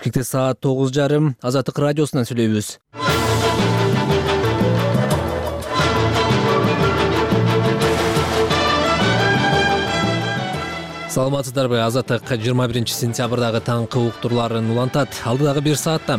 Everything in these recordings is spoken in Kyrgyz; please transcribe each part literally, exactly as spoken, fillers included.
Бишкекте саат тогуз жарым Азаттык радиосунан сүйлөйбүз. Саламатсыздарбы? Азаттык жыйырма биринчи сентябрдагы таңкы уктурларын улантат. Алдыдагы бир саатта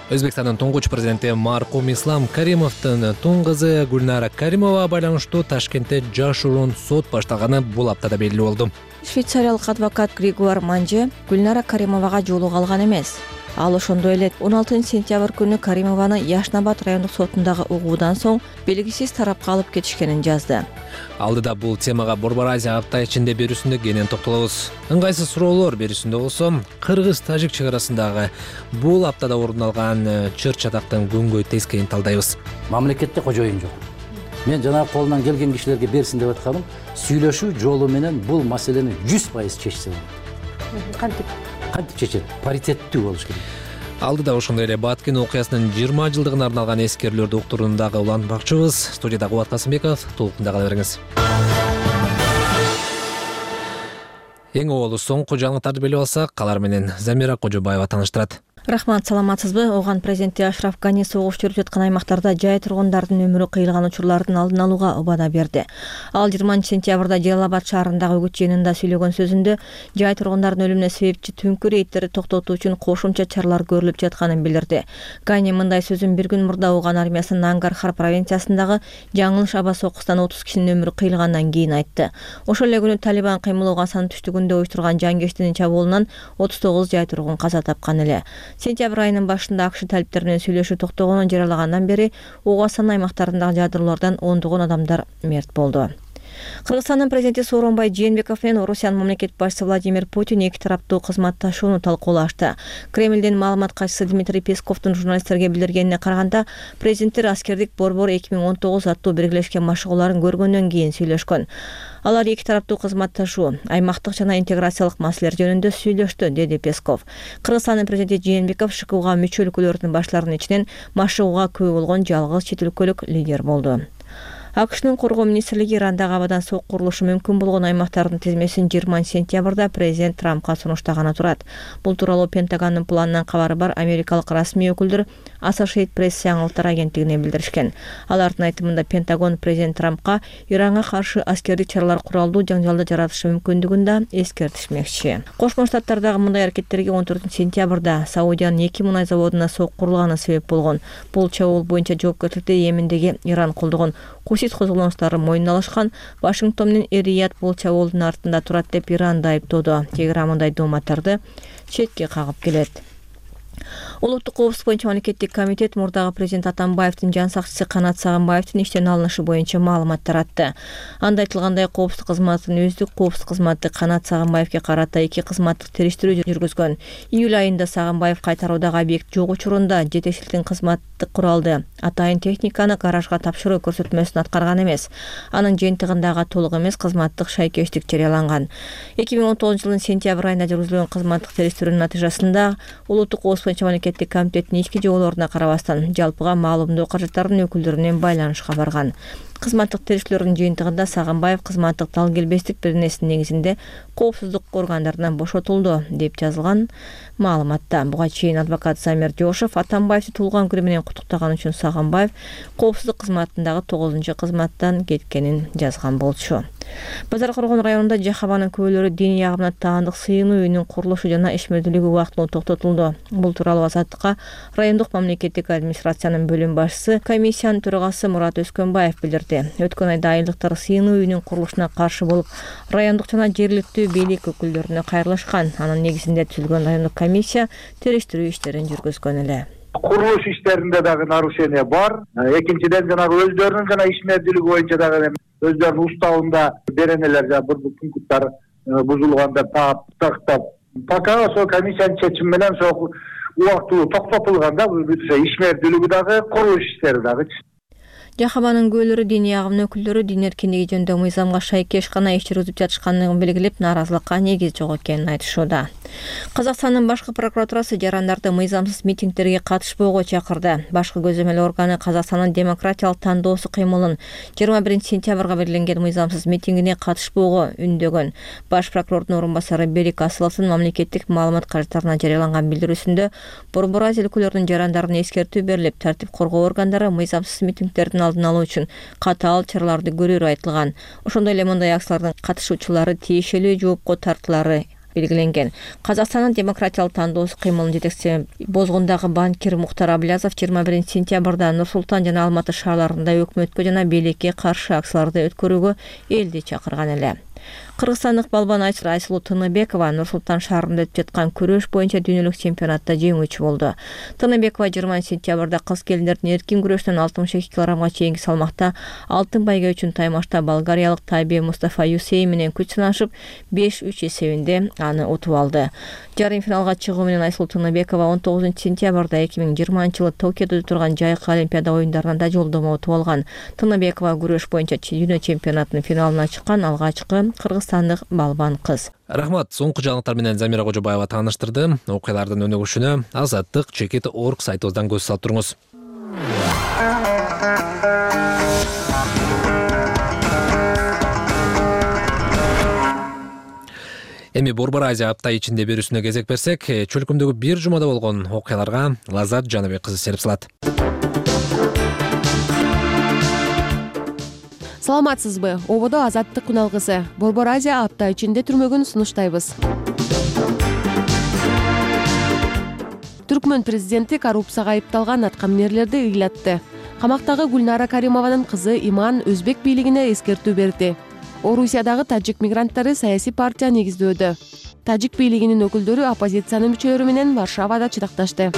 Өзбекстандын туңгуч президенти маркум Ислам Каримовдун тун кызы Гүлнара Каримова байланыштуу Ташкентте жашыруун сот башталганы бул аптада белгилүү болду. Швейцариялык адвокат Григуар Манже Гүлнара Каримовага жоолук алган эмес. Ал ошондой эле он алтынчы сентябрь күнү Каримованы Яшнабад райондук сотундагы угуудан соң белгисиз тарапка алып кетишкенин жазды. Алдыда бул темага Борбор Азия апта ичинде берүүсүндө кенен токтолобуз. Ыңгайсыз суроолор берүүсүндө болсо Кыргыз-Тажик чек арасындагы бул аптада орун алган чыр чатактын күнгөй тескейин талдайбыз. Мамлекетте кожоюн жок. Мен жанагы колунан келген кишилерге берсин деп атканым, сүйлөшүү жолу менен бул маселени жүз пайыз чечсе болот. Кантип? Кантип чечет? Паритеттүү болуш керек. Алдыда ошондой эле Баткен окуясынын жыйырма жылдыгына арналган эскерүүлөрдү уктурууну дагы улантмакчыбыз. Студияда Кубат Касымбеков, толкунда кала бериңиз. Эң оболу соңку жаңылыктарды билип алсак, алар менен Замира Кожобаева тааныштырат. Рахмат, саламатсызбы? Оган президенти Ашраф Гани согуш жүрүп жаткан аймактарда жай тургундардын өмүрү кыйылган учурлардын алдын алууга убада берди. Ал жыйырманчы сентябрда Жалалабад шаарындагы үгүт жыйынында сүйлөгөн сөзүндө жай тургундардын өлүмүнө себепчи түнкү рейдтерди токтотуу үчүн кошумча чаралар көрүлүп жатканын билдирди. Гани мындай сөзүн бир күн мурда Оган армиясынын Нангархар провинциясындагы Жаңылыш аба сокустан отуз кишинин өмүрү кыйылгандан кийин айтты. Ошол эле күнү Талибан кыймыл Оган түштүгүндө уюштурган жангечтинин чабуулунан отуз тогуз жай тургун каза тапкан эле. Сентябрь айынын башында АКШ талиптер менен сүйлөшүү токтогонун жарыялагандан бери Огасан аймактарындагы жадырлоордон ондогон адамдар мерт болду. Кыргызстандын президенти Сооронбай Жээнбеков менен Орусиянын мамлекет башчысы Владимир Путин эки тараптуу кызматташууну талкуулашты. Кремлдин маалымат катчысы Дмитрий Песковдун журналисттерге билдиргенине караганда, президенттер аскердик борбор эки миң он тогуз аттуу биргелешкен машыгууларын көргөндөн кийин сүйлөшкөн. Алар эки тараптуу кызматташуу, аймактык жана интеграциялык маселелер жөнүндө сүйлөштү, деди Песков. Кыргызстандын президенти Жээнбеков ШКУга мүчө өлкөлөрдүн башларынын ичинен машыгууга күбө болгон жалгыз чет өлкөлүк лидер болду. АКШнын коргоо министрлиги Ирандагы абадан сок курулушу мүмкүн болгон аймактардын тизмесин жыйырманчы сентябрда президент Трампка сунуштаганы турат. Бул тууралуу Пентагондун планынан кабары бар америкалык расмий өкүлдөр Associated Press жаңылыктар агенттигине билдиришкен. Алардын айтымында Пентагон президент Трампка Иранга каршы аскердик чаралар куралдуу жаңжалды жаратышы мүмкүндүгүн да эскертишмекчи. Кошмо Штаттардагы мындай аракеттерге он төртүнчү сентябрда Саудиянын эки мунай заводуна сок курулганы себеп болгон. Бул чабуул боюнча жоопкерчиликти Йемендеги Иран колдогон Хусит козголоңчулары мойнуна алышкан. Вашингтон менен Эр-Рияд бул чабуулдун артында турат деп Иранды айыптоодо. Тегеран мындай дооматтарды четке кагып келет. Улуттук коопсуздук боюнча мамлекеттик комитет мурдагы президент Атамбаевдин жан сакчысы Канат Сагынбаевдин иштен алынышы боюнча маалымат таратты. Анда айтылгандай, коопсуздук кызматынын өздүк коопсуздук кызматы Канат Сагынбаевге карата эки кызматтык териштирүү жүргүзгөн. Июль айында Сагынбаев кайтаруудагы объект жок учурунда жетекчиликтин кызматтык куралды, атайын техниканы гаражга тапшыруу көрсөтмөсүн аткарган эмес. Анын жыйынтыгындагы толук эмес кызматтык шайкештик жарыяланган. эки миң он тогузунчу жылдын сентябрь айында жүргүзүлгөн кызматтык териштирүүнүн натыйжасында улуттук коопсуздук мамлекеттик комитеттин ички жоолоруна карабастан жалпыга маалымдоо каражаттарынын өкүлдөрүнүн байланышка барган. Кызматтык териштирүүлөрдүн жыйынтыгында Сагынбаев кызматтык талгелбестик беренесинин негизинде коопсуздук органдарынан бошотулду деп жазылган маалыматта. Буга чейин адвокат Замир Жошов Атамбаевди туулган күнү менен куттуктаган үчүн Сагынбаев коопсуздук кызматындагы тогузунчу кызматтан кеткенин жазган болчу. Базар Коргон районунда Жахабанын күбөлөрү диний агымына таандык сыйынуу үйүнүн курулушу жана ишмердүүлүгү убактылуу токтотулду. Бул тууралуу Азаттыкка райондук мамлекеттик администрациянын бөлүм башчысы, комиссиянын төрагасы Мурат Өскөнбаев билдирди. Өткөн айда айылдыктар сыйынуу үйүнүн курулушуна каршы болуп, райондук жана жергиликтүү бийлик өкүлдөрүнө кайрылышкан. Анын негизинде түзүлгөн райондук комиссия териштирүү иштерин жүргүзгөн эле. Курулуш иштеринде дагы нарушение бар. Экинчиден жанагы өздөрүнүн жана ишмердүүлүгү боюнча дагы өздөрүнүн уставында беренелер жана бул пункттар бузулган деп тактап. Пока ошо комиссиянын чечими менен ошо убактылуу токтотулган да, ишмердүүлүгү дагы, курулуш иштери дагы. Жахабанын күбөлөрү диний агымдын өкүлдөрү дин эркиндиги жөнүндө мыйзамга шайкеш гана иш жүргүзүп жатышканын белгилеп, нааразылыкка негиз жок экенин айтышууда. Казакстандын башкы прокуратурасы жарандарды мыйзамсыз митингдерге катышпоого чакырды. Башкы көзөмөл органы Казакстандын демократиялык тандоосу кыймылын жыйырма биринчи сентябрга белгиленген мыйзамсыз митингине катышпоого үндөгөн. Баш прокурордун орун басары Берик Асыловдун мамлекеттик маалымат каражаттарына жарыяланган билдирүүсүндө Борбор Азия өлкөлөрүнүн жарандарына эскертүү берилип, тартип коргоо органдары мыйзамсыз митингдердин алдын алуу үчүн катаал чараларды көрүүрү айтылган. Ошондой эле мындай акциялардын катышуучулары тиешелүү жоопко тартылары белгиленген. Казакстандын демократиялык тандоосу кыймылынын жетекчиси Бозгундагы банкир Мухтар Аблязов жыйырма биринчи сентябрда Нур Султан жана Алматы шаарларында өкмөткө жана бийликке каршы акцияларды өткөрүүгө элди чакырган эле. Кыргызстандык балбан Айсулуу Тыныбекова Нур Султан шаарында өтүп жаткан күрөш боюнча дүйнөлүк чемпионатта жеңүүчү болду. Тыныбекова жыйырманчы сентябрда кыз келиндердин эркин күрөштөн алтымыш эки килограммга чейинки салмакта алтын байга үчүн таймашта болгариялык Тайбе Мустафа Юсей менен күч сынашып беш үч эсебинде аны утуп алды. Жарым финалга чыгуу менен Айсулуу Тыныбекова он тогузунчу сентябрда эки миң жыйырманчы жылы Токиодо өтүп турган Жайкы Олимпиада оюндарына да жолдомо утуп алган. Тыныбекова күрөш боюнча дүйнө чемпионатынын финалына чыккан алгачкы кыргызстандык балбан кыз. Рахмат. Соңку жаңылыктар менен Замира Кожобаева тааныштырды. Окуялардын өнүгүшүнө Азаттык чекит точка орг сайтыбыздан көз салып туруңуз. Эми Борбор Азия апта ичинде берүүсүнө кезек берсек, чөлкөмдөгү бир жумада болгон окуяларга Лазат Жаныбек кызы серип салат. Саламатсызбы? Ободо Азаттык куналгысы. Борбор Азия апта ичинде түрмөгүн сунуштайбыз. Түркмөн президенти коррупцияга айыпталган аткаминерлерди ыйлатты. Камактагы Гүлнара Каримованын кызы Иман өзбек бийлигине эскертүү берди. Орусиядагы тажик мигранттары саясий партия негиздөөдө. Тажик бийлигинин өкүлдөрү оппозициянын мүчөлөрү менен Варшавада чыдакташты.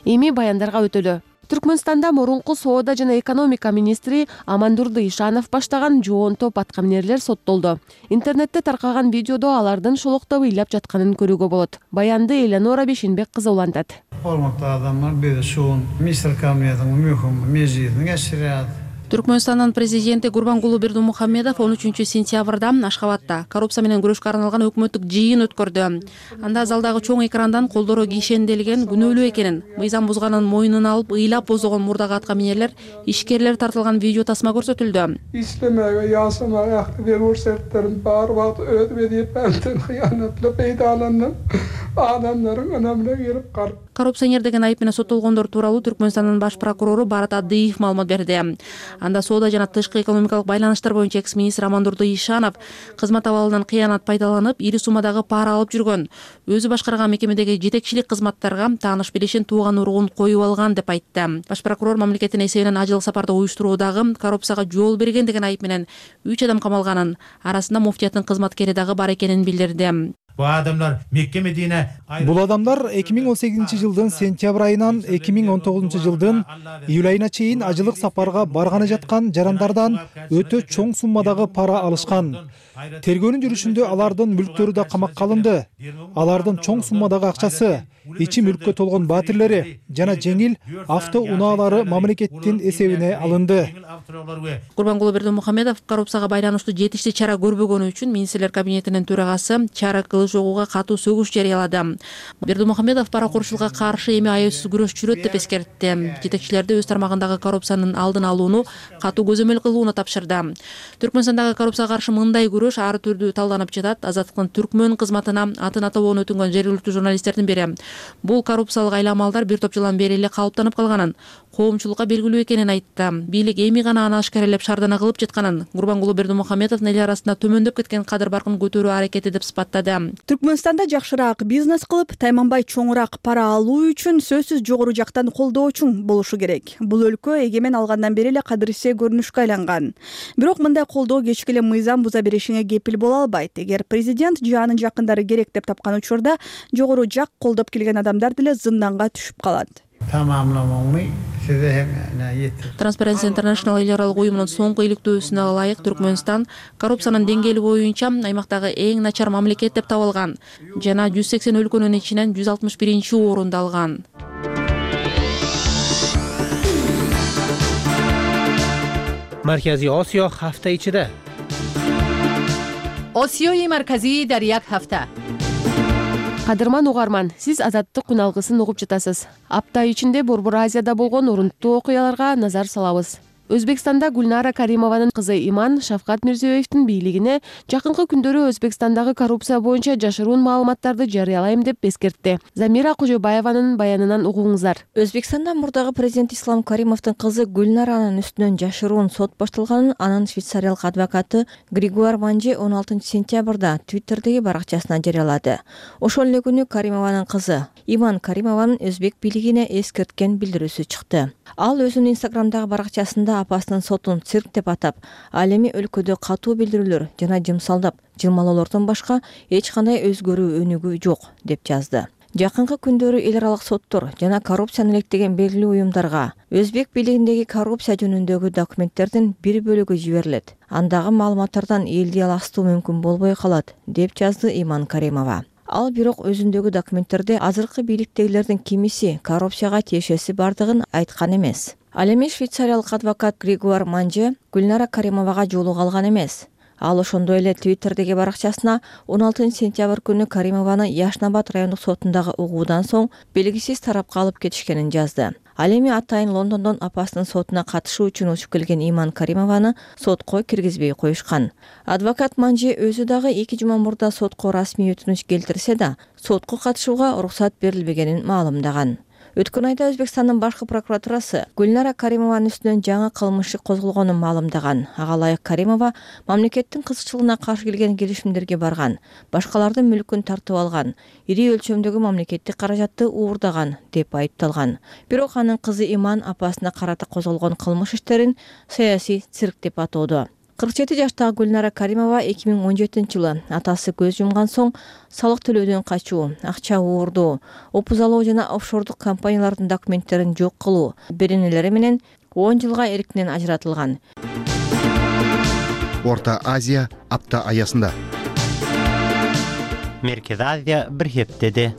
Эми баяндарга өтөлү. Түркмөнстанда мурунку соода жана экономика министри Амандурды Ишанов баштаган жоон топ аткаминерлер соттолду. Интернетте таркаган видеодо алардын шолоктоп ыйлап жатканын көрүүгө болот. Баянды Эленора Бешенбек кызы улантат. Hormatly adamlar, bir şuun Misr kamiyatının mühüm meziyetini geçiriyat. Түркмөнстандын президенти Гурбангулу Бердимухамедов он үчүнчү сентябрда Ашхабадта коррупция менен күрөшкө арналган өкмөттүк жыйын өткөрдү. Анда залдагы чоң экрандан колдору кишенделген күнөөлүү экенин, мыйзам бузганын мойнуна алып ыйлап боздогон мурдагы аткаминерлер, ишкерлер тартылган видео тасма көрсөтүлдү. İstemeye yasama aktive vursetlerin bar vaat ödmediği benden hıyanatlı peydalanın adamların önemine girip kar. Коррупционер деген айып менен соттолгондор тууралуу Түркмөнстандын баш прокурору Барат Адыев маалымат берди. Анда соода жана тышкы экономикалык байланыштар боюнча экс-министр Амандурды Ишанов кызмат абалынан кыянат пайдаланып, ири суммадагы пара алып жүргөн. Өзү башкарган мекемедеги жетекчилик кызматтарга тааныш билишин тууган уругун коюп алган деп айтты. Баш прокурор мамлекеттин эсебинен ажыл сапарды уюштуруудагы коррупцияга жол берген деген айып менен үч адам камалганын, арасында муфтияттын кызматкери дагы бар экенин билдирди. Бул адамдар эки миң он сегизинчи жылдын сентябрь айынан эки миң он тогузунчу жылдын июль айына чейин ажылык сапарга барганы жаткан жарандардан өтө чоң суммадагы пара алышкан. Тергөөнүн жүрүшүндө алардын мүлктөрү да камакка алынды. Алардын чоң суммадагы акчасы, ичи мүлккө толгон баатирлери жана жеңил авто унаалары мамлекеттин эсебине алынды. Гурбангулу Бердимухамедов коррупцияга байланыштуу жетиштүү чара көрбөгөнү үчүн министрлер кабинетинин төрагасы Чара Кылычогууга катуу сөгүш жарыялады. Бердимухамедов паракурчулукка каршы эми аяусуз күрөш жүрөт деп эскертти. Жетекчилерди өз тармагындагы коррупциянын алдын алууну катуу көзөмөл кылууну тапшырды. Түркмөнстандагы коррупцияга каршы мындай күрөш ар түрдүү талданып жатат. Азаттыктын Түркмөн кызматына атын атообон өтүнгөн жергиликтүү журналисттердин бири. Бул коррупциялык айламалдар бир топ жылдан бери эле калыптанып калганын, коомчулукка белгилүү экенин айтты. Бийлик эми гана аны ашкаралап шаардана кылып жатканын, Гурбангулу Бердимухамедовдун эл арасында төмөндөп кеткен кадыр баркын көтөрүү аракети деп сыпаттады. Түркмөнстанда жакшыраак бизнес кылып, тайманбай чоңураак пара алуу үчүн сөзсүз жогору жактан колдоочуң болушу керек. Бул өлкө эгемен алгандан бери эле кадырсе көрүнүшкө айланган. Бирок мындай колдоо кечке эле мыйзам буза беришиңе кепил боло албайт. Эгер президент же анын жакындары керек деп тапкан учурда жогору жак колдоп келген адамдар деле зынданга түшүп калат. Transparency International эл аралык уюмунун соңку иликтөөсүнө ылайык Түркмөнстан коррупциянын деңгээли боюнча аймактагы эң начар мамлекет деп табылган жана жүз сексен өлкөнүн ичинен жүз алтымыш биринчи орунду алган. марказии осиё ҳафта ичида. осиёи марказӣ дар як ҳафта. Кадырман угарман, сиз Азаттык күн алгысын угуп жатасыз. Апта ичинде Борбор Азияда болгон орунттуу окуяларга назар салабыз. Өзбекстанда Гүлнара Каримованын кызы Иман Шавкат Мирзиёевдин бийлигине жакынкы күндөрү Өзбекстандагы коррупция боюнча жашыруун маалыматтарды жарыялайм деп эскертти. Замира Кожобаеванын баянынан угуңуздар. Өзбекстанда мурдагы президент Ислам Каримовдун кызы Гүлнаранын үстүнөн жашыруун сот башталганын анын швейцариялык адвокаты Григуар Манже он алтынчы сентябрда Твиттердеги баракчасына жарыялады. Ошол эле күнү Каримованын кызы Иман Каримованын өзбек бийлигине эскерткен билдирүүсү чыкты. Ал өзүнүн Инстаграмдагы баракчасында апасынын сотун цирк деп атап, ал эми өлкөдө катуу билдирүүлөр жана жымсалдап, жылмалоолордон башка эч кандай өзгөрүү өнүгүү жок деп жазды. Жакынкы күндөрү эл аралык соттор жана коррупцияны илектеген белгилүү уюмдарга өзбек бийлигиндеги коррупция жөнүндөгү документтердин бир бөлүгү жиберилет. Андагы маалыматтардан элди аластуу мүмкүн болбой калат, деп жазды Иман Каримова. Ал бирок өзүндөгү документтерде азыркы бийликтегилердин кимиси коррупцияга тиешеси бардыгын айткан эмес. Ал эми швейцариялык адвокат Григуар Манже Гүлнара Каримовага жолуга алган эмес. Ал ошондой эле Твиттердеги баракчасына он алтынчы сентябрь күнү Каримованы Яшнабад райондук сотундагы угуудан соң белгисиз тарапка алып кетишкенин жазды. Ал эми атайын Лондондон апасынын сотуна катышуу үчүн учуп келген Иман Каримованы сотко киргизбей коюшкан. Адвокат Манже өзү дагы эки жума мурда сотко расмий өтүнүч келтирсе да, сотко катышууга уруксат берилбегенин маалымдаган. Өткөн айда Өзбекстандын башкы прокуратурасы Гүлнара Каримованын үстүнөн жаңы кылмыш иши козголгонун маалымдаган. Ага ылайык Каримова мамлекеттин кызыкчылыгына каршы келген келишимдерге барган, башкалардын мүлкүн тартып алган, ири өлчөмдөгү мамлекеттик каражатты уурдаган деп айыпталган. Бирок анын кызы Иман апасына карата козголгон кылмыш иштерин саясий цирк деп атоодо. кырк жети жаштагы Гүлнара Каримова эки миң он жетинчи жылы атасы көз жумган соң салык төлөөдөн качуу, акча уурдоо, опузалоо жана офшордук компаниялардын документтерин жок кылуу беренелери менен он жылга эркинен ажыратылган. Орто Азия апта аясында. Меркез Азия бир хептеде.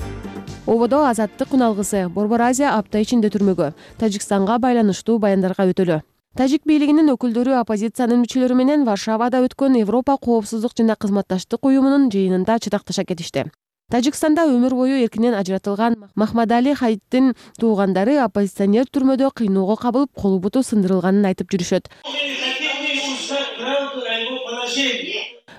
Ободо Азаттык күн алгысы Борбор Азия апта ичинде түрмөгө, Тажикстанга байланыштуу баяндарга өтөлү. Тажик бийлигинин өкүлдөрү оппозициянын мүчөлөрү менен Варшавада өткөн Европа коопсуздук жана кызматташтык уюмунун жыйынында чыдакташа кетишти. Тажикстанда өмүр бою эркинен ажыратылган Махмадали Хаиттин туугандары оппозиционер түрмөдө кыйноого кабылып, колу буту сындырылганын айтып жүрүшөт.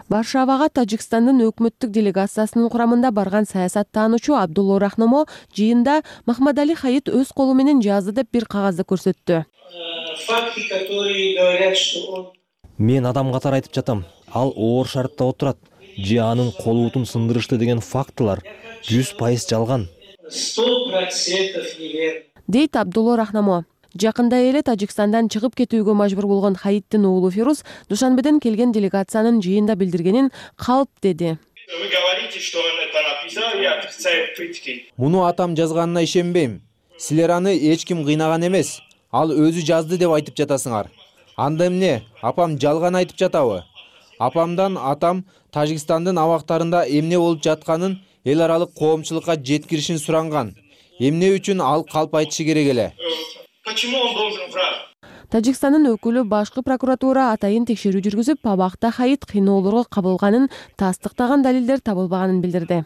Варшавага Тажикстандын өкмөттүк делегациясынын курамында барган саясаттануучу Абдулло Рахномо жыйында Махмадали Хаит өз колу менен жазды деп бир кагазды көрсөттү. Мен адам катары айтып жатам. Ал оор шартта отурат. Же анын колу бутун сындырышты деген фактылар жүз пайыз жалган. Дейт Абдулло Рахнамо. Жакында эле Тажикстандан чыгып кетүүгө мажбур болгон Хаиттин уулу Фирус Душанбеден келген делегациянын жыйында билдиргенин калп деди. Муну атам жазганына ишенбейм. Силер аны эч ким кыйнаган эмес. Ал өзү жазды деп айтып жатасыңар. Анда эмне? Апам жалган айтып жатабы? Апамдан атам Тажикстандын абактарында эмне болуп жатканын эл аралык коомчулукка жеткиришин суранган. Эмне үчүн ал калп айтышы керек эле? Тажикстандын өкүлү башкы прокуратура атайын текшерүү жүргүзүп, абакта Хаит кыйноолорго кабылганын тастыктаган далилдер табылбаганын билдирди.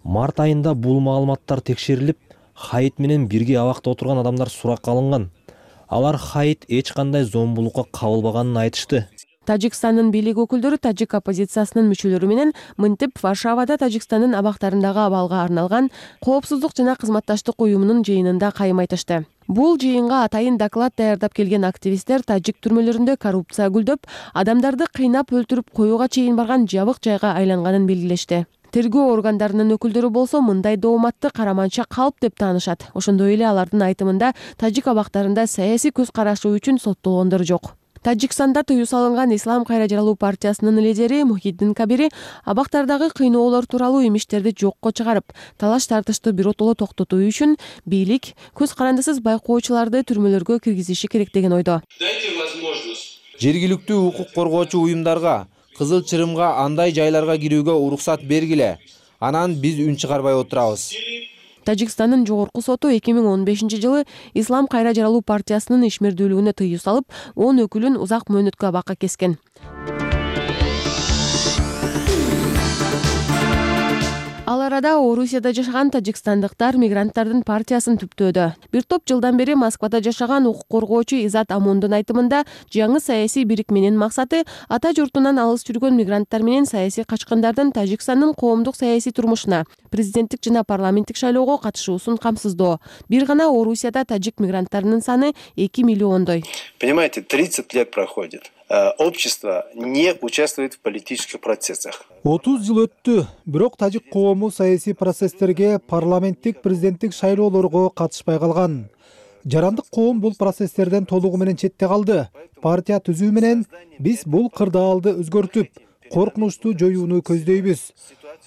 Март айында бул маалыматтар текшерилип, Хаит менен бирге абакта отурган адамдар суракка алынган. Алар Хаит эч кандай зомбулукка кабылбаганын айтышты. Тажикстандын бийлик өкүлдөрү тажик оппозициясынын мүчөлөрү менен мынтип Варшавада Тажикстандын абактарындагы абалга арналган коопсуздук жана кызматташтык уюмунун жыйынында кайым айтышты. Бул жыйынга атайын доклад даярдап келген активисттер тажик түрмөлөрүндө коррупция гүлдөп, адамдарды кыйнап өлтүрүп коюуга чейин барган жабык жайга айланганын белгилешти. Тергөө органдарынын өкүлдөрү болсо мындай дооматты караманча калп деп таанышат. Ошондой эле алардын айтымында тажик абактарында саясий көз карашы үчүн соттолгондор жок. Тажикстанда тыюу салынган Ислам кайра жаралуу партиясынын лидери Мухиддин Кабири абактардагы кыйноолор тууралуу имиштерди жокко чыгарып, талаш тартышты биротоло токтотуу үчүн бийлик көз карандысыз байкоочуларды түрмөлөргө киргизиши керек деген ойдо. Жергиликтүү укук коргоочу уюмдарга, Кызыл Чырымга андай жайларга кирүүгө уруксат бергиле. Анан биз үн чыгарбай отурабыз. Тажикстандын жогорку соту эки миң он бешинчи жылы Ислам кайра жаралуу партиясынын ишмердүүлүгүнө тыюу салып, он өкүлүн узак мөөнөткө абакка кескен. Ал арада Орусияда жашаган тажикстандыктар мигранттардын партиясын түптөөдө. Бир топ жылдан бери Москвада жашаган укук коргоочу Изат Амондун айтымында, жаңы саясий бирикменин максаты ата журтунан алыс жүргөн мигранттар менен саясий качкындардын Тажикстандын коомдук саясий турмушуна, президенттик жана парламенттик шайлоого катышуусун камсыздоо. Бир гана Орусияда тажик мигранттарынын саны эки миллиондой. Понимаете, тридцать лет проходит. Общество не участвует в политических процессах. отуз жыл өттү, бирок тажик коому саясий процесстерге, парламенттик, президенттик шайлоолорго катышпай калган. Жарандык коом бул процесстерден толугу менен четте калды. Партия түзүү менен биз бул кырдаалды өзгөртүп, коркунучту жоюуну көздөйбүз.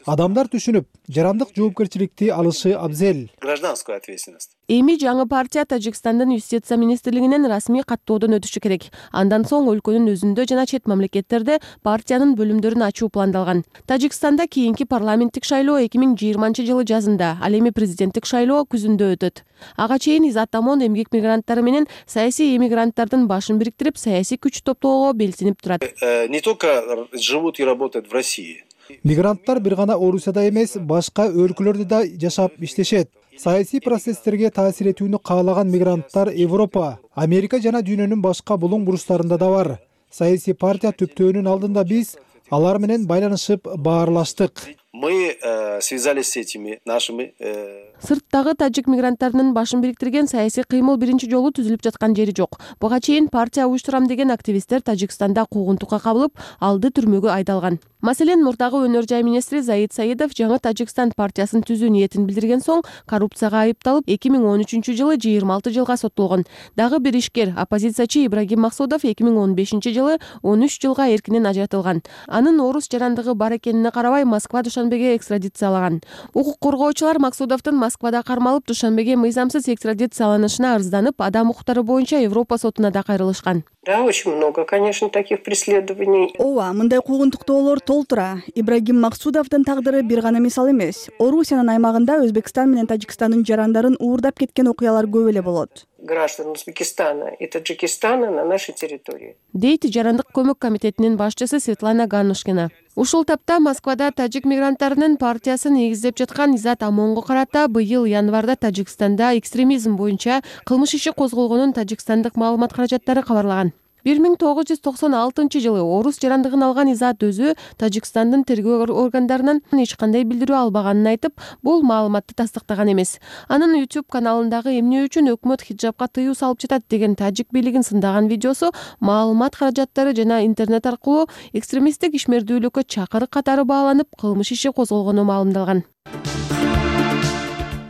Адамдар түшүнүп, жарандык жоопкерчиликти алышы абзел. Гражданскую ответственность. Эми жаңы партия Тажикстандын юстиция министрлигинен расмий каттоодон өтүшү керек. Андан соң өлкөнүн өзүндө жана чет мамлекеттерде партиянын бөлүмдөрүн ачуу пландалган. Тажикстанда кийинки парламенттик шайлоо эки миң жыйырманчы жылы жазында, ал эми президенттик шайлоо күзүндө өтөт. Ага чейин Изат Амон эмгек мигранттары менен саясий эмигранттардын башын бириктирип, саясий күч топтоого белсинип турат. Не только живут и работают в России. Мигранттар бир гана Орусияда эмес, башка өлкөлөрдө да жашап иштешет. Саясий процесстерге таасир этүүнү каалаган мигранттар Европа, Америка жана дүйнөнүн башка булуң буручтарында да бар. Саясий партия түптөөнүн алдында биз алар менен байланышып баарлаштык. Мы э, связались с этими нашими... Э... Сырттагы тажик мигранттарынын башын бириктирген саясий кыймыл биринчи жолу түзүлүп жаткан жери жок. Буга чейин партия уюштурам деген активисттер Тажикстанда куугунтукка кабылып, алды түрмөгө айдалган. Маселен, мурдагы өнөр жай министри Заид Саидов жаңы Тажикстан партиясын түзүү ниетин билдирген соң коррупцияга айыпталып, эки миң он үчүнчү жылы жыйырма алты жылга соттолгон. Дагы бир ишкер, оппозициячы Ибрагим Максудов эки миң он бешинчи жылы он үч жылга эркинен ажыратылган. Анын орус жарандыгы бар экенине карабай Москва Душанбеге экстрадициялаган. Укук коргоочулар Максудовдун Москвада кармалып Душанбеге мыйзамсыз экстрадицияланышына арызданып, адам укуктары боюнча Европа сотуна да кайрылышкан. Да, очень много, конечно, таких преследований. Ооба, мындай куугунтуктоолор толтура. Ибрагим Максудовдун тагдыры бир гана мисал эмес. Орусиянын аймагында Өзбекстан менен Тажикстандын жарандарын уурдап кеткен окуялар көп эле болот. Граждан Узбекистана и Таджикистана на нашей территории. Дейт жарандык көмөк комитетинин башчысы Светлана Ганушкина. Ушул тапта Москвада тажик мигранттарынын партиясын негиздеп жаткан Изат Амонго карата быйыл январда Тажикстанда экстремизм боюнча кылмыш иши козголгонун Тажикстандык маалымат каражаттары кабарлаган. бир миң тогуз жүз токсон алтынчы жылы орус жарандыгын алган Изат өзү Тажикстандын тергөө органдарынан эч кандай билдирүү албаганын айтып, бул маалыматты тастыктаган эмес. Анын YouTube каналындагы эмне үчүн өкмөт хиджабка тыюу салып жатат деген тажик бийлигин сындаган видеосу маалымат каражаттары жана интернет аркылуу экстремисттик ишмердүүлүккө чакырык катары бааланып, кылмыш иши козголгону маалымдалган.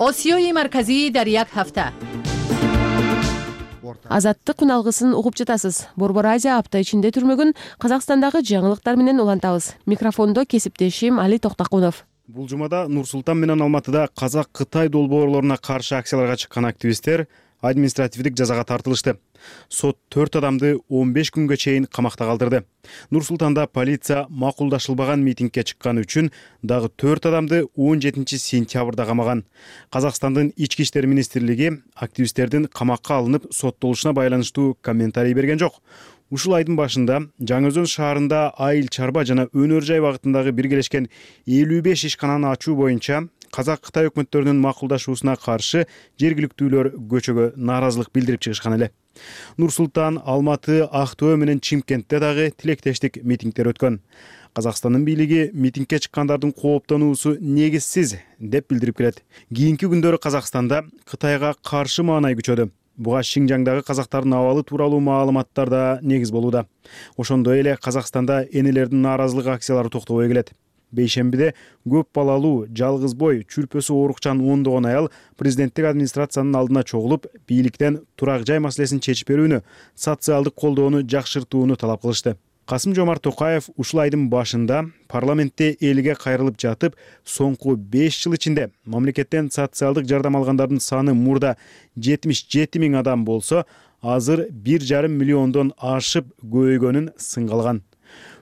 осиёи марказии дар як ҳафта. Азаттык күн алгысын угуп жатасыз. Борбор Азия апта ичинде түрмөгүн Казакстандагы жаңылыктар менен улантабыз. Микрофондо кесиптешим Али Токтакунов. Бул жумада Нур Султан менен Алматыда Казак-Кытай долбоорлоруна каршы акцияларга чыккан активисттер административдик жазага тартылышты. Сот төрт адамды он беш күнгө чейин камакта калтырды. Нур Султанда полиция макулдашылбаган митингге чыкканы үчүн дагы төрт адамды он жетинчи сентябрда камаган. Казакстандын ички иштер министрлиги активисттердин камакка алынып соттолушуна байланыштуу комментарий берген жок. Ушул айдын башында Жаңы Өзөн шаарында айыл чарба жана өнөр жай багытындагы биргелешкен элүү беш ишкананы ачуу боюнча Казак-Кытай өкмөттөрүнүн макулдашуусуна каршы жергиликтүүлөр көчөгө нааразылык билдирип чыгышкан эле. Нур Султан, Алматы, Актөө менен Чимкентте дагы тилектештик митингдер өткөн. Казакстандын бийлиги митингге чыккандардын кооптонуусу негизсиз деп билдирип келет. Кийинки күндөрү Казакстанда Кытайга каршы маанай күчөдү. Буга Шинжаңдагы казактардын абалы тууралуу маалыматтар да негиз болууда. Ошондой эле Казакстанда энелердин нааразылык акциялары токтобой келет. Бейшембиде көп балалуу, жалгыз бой, чүрпөсү оорукчан ондогон аял президенттик администрациянын алдына чогулуп, бийликтен турак жай маселесин чечип берүүнү, социалдык колдоону жакшыртууну талап кылышты. Касым-Жомарт Токаев ушул айдын башында парламентте элге кайрылып жатып, соңку беш жыл ичинде мамлекеттен социалдык жардам алгандардын саны мурда жетимиш жети миң адам болсо, азыр бир жарым миллиондон ашып көбөйгөнүн сынга алган.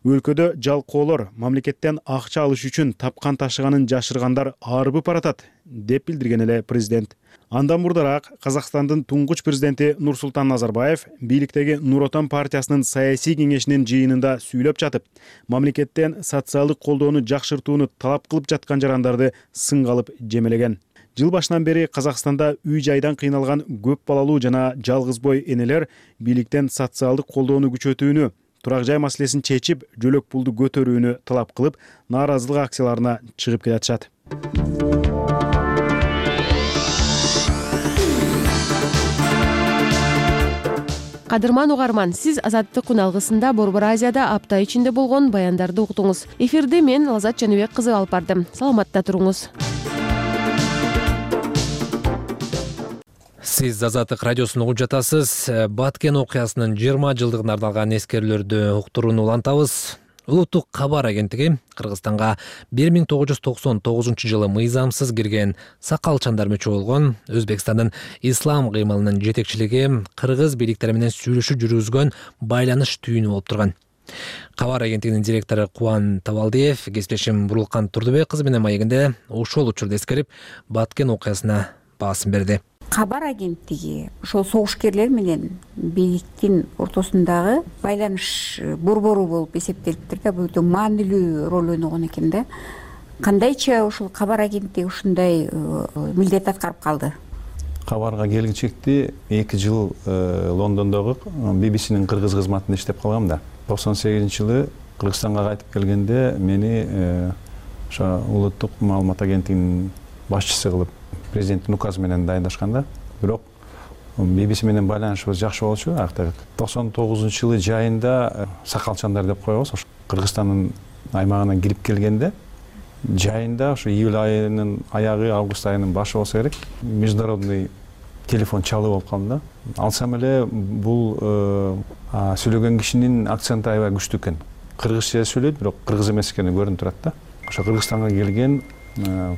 өлкөдө жалкоолор мамлекеттен акча алыш үчүн тапкан ташыганын жашыргандар арбып баратат деп билдирген эле президент. Андан мурдараак Казакстандын туңгуч президенти Нурсултан Назарбаев бийликтеги Нур Отон партиясынын саясий кеңешинин жыйынында сүйлөп жатып, мамлекеттен социалдык колдоону жакшыртууну талап кылып жаткан жарандарды сынга алып жемелеген. Жыл башынан бери Казакстанда үй жайдан кыйналган көп балалуу жана жалгыз бой энелер бийликтен социалдык колдоону күчөтүүнү, турак жай маселесин чечип, жөлөк пулду көтөрүүнү талап кылып, нааразылык акцияларына чыгып келатышат. Кадырман угарман, сиз Азаттык күн алгысында Борбор Азияда апта ичинде болгон баяндарды уктуңуз. Эфирди мен Лазат Жаныбек кызы алып бардым. Саламатта туруңуз. Сиз Азаттык радиосун угуп жатасыз. Баткен окуясынын жыйырма жылдыгына арналган эскерүүлөрдү уктурууну улантабыз. Улуттук кабар агенттиги Кыргызстанга бир миң тогуз жүз токсон тогузунчу жылы мыйзамсыз кирген сакалчандар мүчө болгон Өзбекстандын ислам кыймылынын жетекчилиги кыргыз бийликтери менен сүйлөшүү жүргүзгөн байланыш түйүнү болуп турган. Кабар агенттигинин директору Кубан Табалдиев кесиптешим Бурулкан Турдубек кызы менен маегинде ошол учурду эскерип, Баткен окуясына баасын берди. Кабар агенттиги ошол согушкерлер менен бийликтин ортосундагы байланыш борбору болуп эсептелиптир да, бул өтө маанилүү роль ойногон экен да. Кандайча ошол кабар агенттиги ушундай милдет аткарып калды? Кабарга келгичекти эки жыл Лондондогу би би синин кыргыз кызматында иштеп калгам да. токсон сегизинчи жылы Кыргызстанга кайтып келгенде мени ошо улуттук маалымат агенттигинин башчысы кылып президенттин указы менен дайындашканда, бирок би би си менен байланышыбыз жакшы болчу. Акта токсон тогузунчу жылы жайында сакалчандар деп коебуз. Ошо Кыргызстандын аймагына кирип келгенде, жайында ошо июль айынын аягы, август айынын башы болсо керек, международный телефон чалуу болуп калды да. Алсам эле бул сүйлөгөн кишинин акценти аябай күчтүү экен. Кыргызча сүйлөйт, бирок кыргыз эмес экени көрүнүп турат да. Ошо Кыргызстанга келген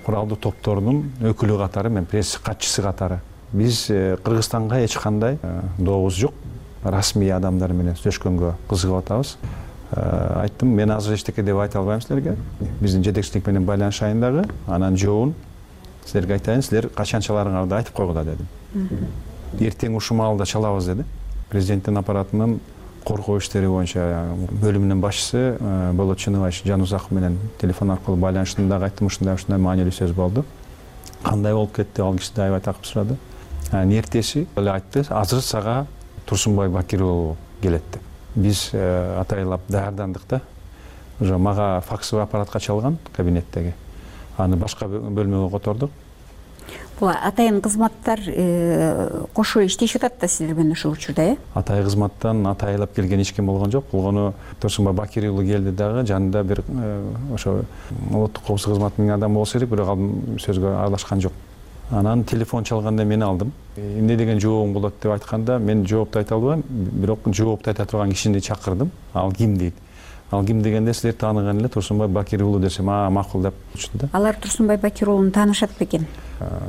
куралдуу топторунун өкүлү катары, мен пресс катчысы катары биз Кыргызстанга эч кандай дообуз жок, расмий адамдар менен сүйлөшкөнгө кызыгып атабыз. Айттым, мен азыр эчтеке деп айта албайм силерге. Биздин жетекчилик менен байланышайын дагы, анан жообун силерге айтайын, силер качанчаларыңарды айтып койгула дедим. Эртең ушул маалда чалабыз деди. Президенттин аппаратынын коркоо иштери боюнча бөлүмүнүн башчысы Болот Чыныбаев Жанузаков менен телефон аркылуу байланышында айттым, ушундай ушундай маанилүү сөз болду. Кандай болуп кетти, ал киши да аябай такып сурады. Эртеси эле айтты, азыр сага Турсунбай Бакир уулу келет деп. Биз атайлап даярдандык да. Уже мага факсовый аппаратка чалган кабинеттеги. Аны башка бөлмөгө котордук. Бул атайын кызматтар кошо иштешип атат да силер менен ошол учурда, э? Атай кызматтан атайлап келген эч ким болгон жок. Болгону Турсунбай Бакир уулу келди дагы, жанында бир ошо улуттук коопсуздук кызматынын адамы болсо керек, бирок ал сөзгө аралашкан жок. Анан телефон чалганда мен алдым. Эмне деген жообуң болот деп айтканда, мен жоопту айта албайм, бирок жоопту айта турган кишини чакырдым. Ал ким дейт? Ал ким дегенде силер тааныган эле Турсунбай Бакир уулу десем, а макул деп айтышты да. Алар Турсунбай Бакир уулун таанышат бекен?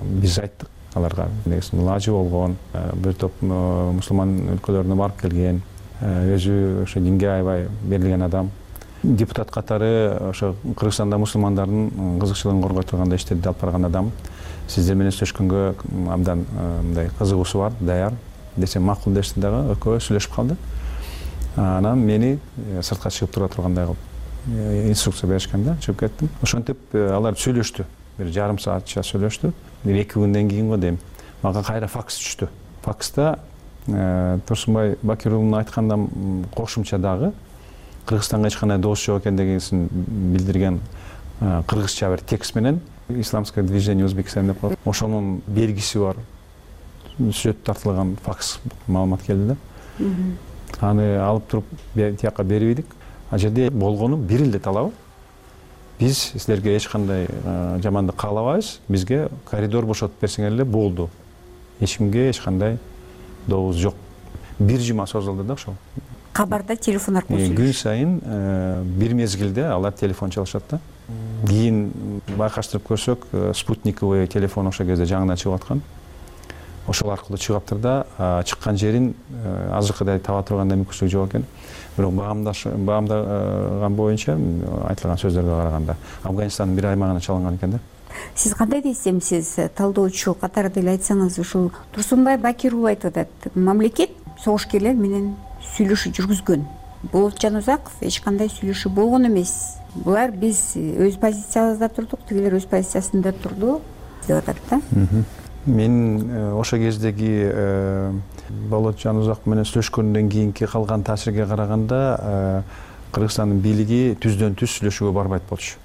Биз айттык аларга, негизинен лажы болгон, бир топ мусулман өлкөлөрүнө барып келген, өзү ошо динге аябай берилген адам. Депутат катары ошо Кыргызстанда мусулмандардын кызыкчылыгын коргой турганда иштерди алып барган адам. Сиздер менен сүйлөшкөнгө абдан мындай кызыгуусу бар, даяр десем макул дешти дагы, экөө сүйлөшүп калды. Анан мени сыртка чыгып тура тургандай кылып инструкция беришкен да, чыгып кеттим. Ошентип алар сүйлөштү. Бир жарым саатча сүйлөштү. Бир эки күндөн кийин го дейм, мага кайра факс түштү. Факста Турсунбай Бакир уулунун айткандан кошумча дагы Кыргызстанга эч кандай доос жок экендигин билдирген кыргызча бир текст менен Исламское движение Узбекистан деп коюп, ошонун белгиси бар сүрөт тартылган факс маалымат келди да. Аны алып туруп тияка берип идик. А жерде болгону бир эле талабы. Биз силерге эч кандай жамандык каалабайбыз, бизге коридор бошотуп берсеңер эле болду. Эч кимге эч кандай дообуз жок. Бир жума созулду да ошол. Кабарда телефон аркылуу сүйлөшүп. Күн сайын бир мезгилде алар телефон чалышат да. Кийин байкаштырып көрсөк, спутниковый телефон ошол кезде жаңыдан чыгып аткан. ошол аркылуу чыгаптыр да чыккан жерин азыркыдай таба тургандай мүмкүнчүлүк жок экен. Бирок баамдаган боюнча айтылган сөздөргө караганда Афганистандын бир аймагынан чалынган экен да. Сиз кандай десемсиз, талдоочу катары деле айтсаңыз, ушул Турсунбай Бакир уулу айтып атат, мамлекет согушкерлер менен сүйлөшүү жүргүзгөн. Болот Жанузаков эч кандай сүйлөшүү болгон эмес. Булар биз өз позициябызда турдук, тигилер өз позициясында турду деп атат да. Мен ошо кездеги Болот Жанузаков менен сүйлөшкөндөн кийинки калган таасирге караганда Кыргызстандын бийлиги түздөн түз сүйлөшүүгө барбайт болчу.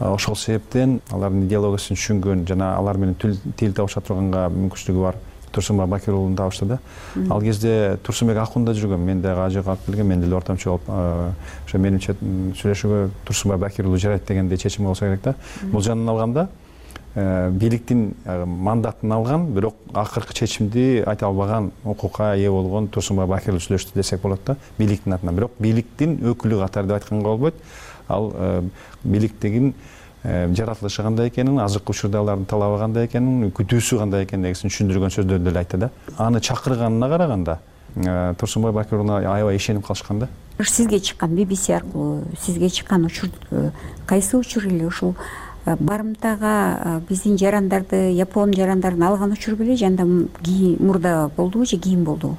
Ошол себептен алардын идеологиясын түшүнгөн жана алар менен тил табыша турганга мүмкүнчүлүгү бар Турсунбай Бакир уулун табышты да. Ал кезде Турсунбек Акунда жүргөн, мен дагы ажык алып келген, мен деле ортомчу болуп, ошо менимче сүйлөшүүгө Турсунбай Бакир уулу жарайт дегендей чечим болсо керек да. Бул жөнүнөн алганда бийликтин мандатын алган, бирок акыркы чечимди айта албаган, укукка ээ болгон Турсунбай Бакир уулу сүйлөштү десек болот да, бийликтин атынан. Бирок бийликтин өкүлү катары деп айтканга болбойт. Ал бийликтигин жаратылышы кандай экенин, азыркы учурда алардын талабы кандай экенин, күтүүсү кандай экендигин түшүндүргөн сөздөрдү деле айтты да. Аны чакырганына караганда Турсунбай Бакир уулуна аябай ишенип калышкан да. Сизге чыккан би би си аркылуу сизге чыккан учур кайсы учур эле ушул барымтага биздин жарандарды, япон жарандарын алган учур беле, жанда мурда болдубу же кийин болдубу?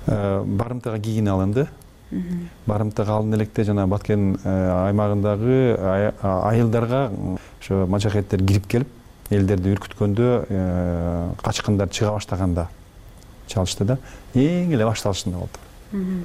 Барымтага кийин алынды. Барымтага алын электе жана Баткен аймагындагы айылдарга ошо мажахеттер кирип келип, элдерди үркүткөндө, качкындар чыга баштаганда чалышты да. Эң эле башталышында болду.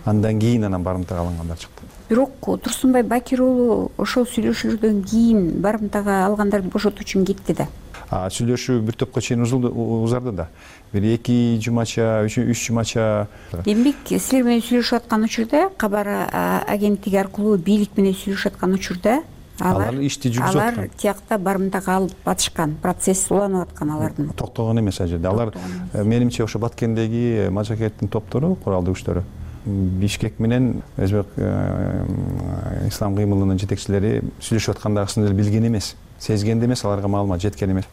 Андан кийин анан барымтага алынгандар чыкты. Бирок Турсунбай Бакир уулу ошол сүйлөшүүлөрдөн кийин барымтага алгандарды бошотуу үчүн кетти да. Сүйлөшүү бир топко чейин узарды да. Бир эки жумача, үч жумача. Демек, силер менен сүйлөшүп аткан учурда, кабар агенттиги аркылуу бийлик менен сүйлөшүп аткан учурда алар ишти жүргүзүп аткан. Алар тиякта барымтага алып батышкан, процесс уланып аткан алардын. Токтогон эмес ал жерде. Алар менимче ошо Баткендеги мажахеттин топтору, куралдуу күчтөрү Бишкек менен Өзбек ислам кыймылынын жетекчилери сүйлөшүп аткандагысын деле билген эмес. Сезген эмес, аларга маалымат жеткен эмес.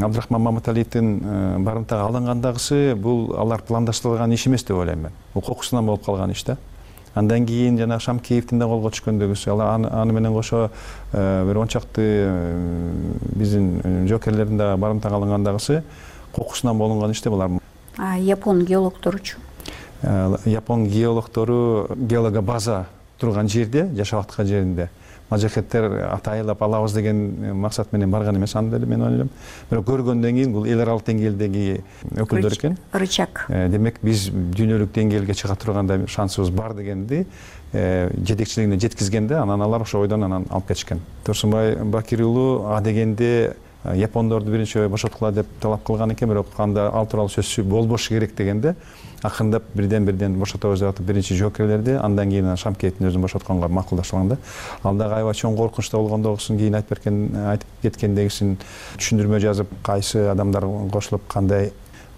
Абдрахман Маматалиевдин барымтага алынгандагысы бул алар пландаштырылган иш эмес деп ойлойм мен. Укукусунан болуп калган иш да. Андан кийин жана Шамкеевдин да колго түшкөндөгүсү, алар аны менен кошо бир он чакты биздин жокерлердин да барымтага алынгандагысы укукусунан болгон иш деп алар. А япон геологторучу? Япон геологтору геолога база турган жерде, жашап аткан жеринде мажахеттер атайылап алабыз деген максат менен барган эмес, аны деле мен ойлойм. Бирок көргөндөн кийин бул эл аралык деңгээлдеги өкүлдөр экен. Рычаг. Демек биз дүйнөлүк деңгээлге чыга тургандай шансыбыз бар дегенди жетекчилигине жеткизгенде, анан алар ошо ойдон анан алып кетишкен. Турсунбай Бакир уулу а дегенде япондорду биринчи бошоткула деп талап кылган экен, бирок анда ал тууралуу сөз болбошу керек дегенде акырындап бирден бирден бошотобуз деп атып биринчи жоокерлерди, андан кийин Шамкеевдин өзүн бошотконго макулдашылган да. Ал дагы аябай чоң коркунучта болгондогусун кийин айтып берген, айтып кеткендегисин түшүндүрмө жазып, кайсы адамдар кошулуп, кандай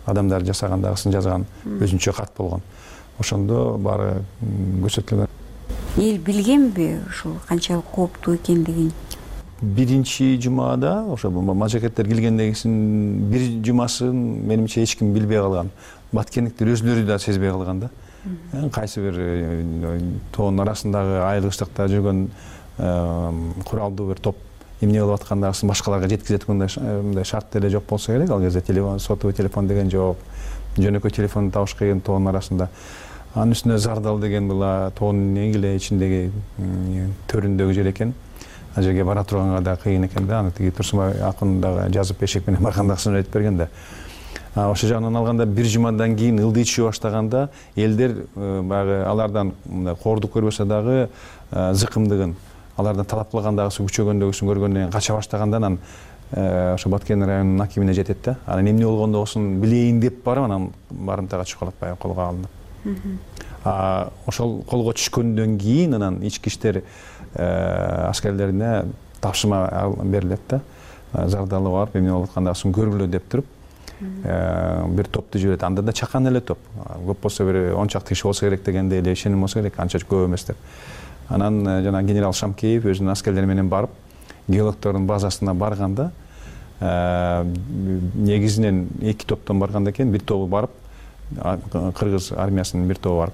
адамдар жасагандагысын жазган өзүнчө карт болгон. Ошондо баары көрсөтүлгөн. Эл билгенби ушул канчалык кооптуу экендигин? Биринчи жумада ошо мажахеттер келгендегисин бир жумасын менимче эч ким билбей калган. Баткендиктер өзүлөрү да сезбей калган да. Кайсы бир тоонун арасындагы айылгычтыкта жүргөн куралдуу бир топ эмне болуп аткандагысын башкаларга жеткизе тургандай шарт деле жок болсо керек. Ал кезде телефон, сотовый телефон деген жок, жөнөкөй телефон табыш кыйын тоонун арасында. Анын үстүнө Зардал деген бул тоонун эң эле ичиндеги төрүндөгү жер экен. Ал жерге бара турганга да кыйын экен да. Аны тиги Турсунбай Акун дагы жазып эшек менен баргандагысын айтып берген да. Ошол жагынан алганда бир жумадан кийин ылдый түшө баштаганда элдер баягы алардан коордук көрбөсө дагы зыкымдыгын, алардан талап кылгандагысы күчөгөндөгүсүн көргөндөн кийин кача баштаганда анан ошо Баткен районунун акимине жетет да. Анан эмне болгондогусун билейин деп барып анан барымтага чыгып калат, баягы колго алынып. Ошол колго түшкөндөн кийин анан ички иштер аскерлерине тапшырма берилет да. Зардалы барып эмне болуп аткандагысын көргүлө деп туруп бир топту жиберет. Анда да чакан эле топ. Көп болсо бир он чакты киши болсо керек дегенде эле ишеним болсо керек, анча көп эмес деп. Анан жана генерал Шамкеев өзүнүн аскерлери менен барып, геологтордун базасына барганда, негизинен эки топтон барган экен, бир тобу барып, кыргыз армиясынын бир тобу барып,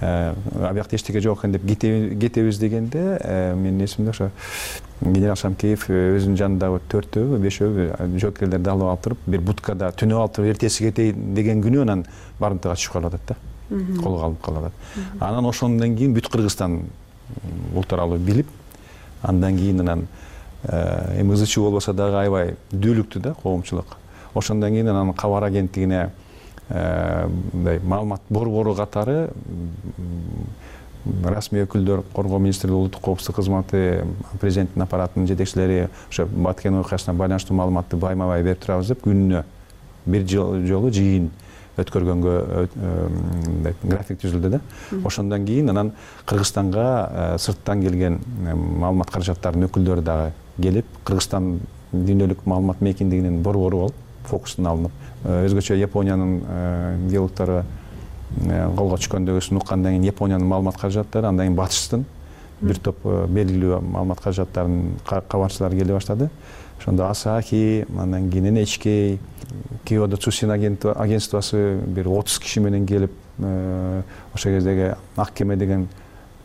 абиякта эчтеке жок экен деп кетебиз дегенде, менин эсимде ошо генерал Шамкеев өзүнүн жанындагы төртөө, бешөө жоокерлерди алып алып туруп, бир будкада түнөп алып туруп, эртеси кетейин деген күнү анан барымтага түшүп калып атат да. Колго алып калып атат. Анан ошондон кийин бүт Кыргызстан ултуралуу билип, андан кийин анан эми ызы чуу болбосо дагы аябай дүүлүктү да коомчулук. Ошондон кийин анан кабар агенттигине мындай маалымат борбору катары расмий өкүлдөр, Коргоо министрлиги, улуттук коопсуздук кызматы, президенттин аппаратынын жетекчилери ошо Баткен окуясына байланыштуу маалыматты байма-бай берип турабыз деп күнүнө бир жолу жыйын өткөргөнгө график түзүлдү да. Ошондон кийин анан Кыргызстанга сырттан келген маалымат каражаттарынын өкүлдөрү дагы келип, Кыргызстан дүйнөлүк маалымат мейкиндигинин борбору болуп, фокустун алынып, өзгөчө Япониянын геологдору колго түшкөндөгүсүн уккандан кийин Япониянын маалымат каражаттары, андан кийин батыштын бир топ белгилүү маалымат каражаттарынын кабарчылары келе баштады. Ошондо Асахи, андан кийин эн эйч кей, Киодо Цусин агентствосы бир отуз киши менен келип, ошол кездеги Ак кеме деген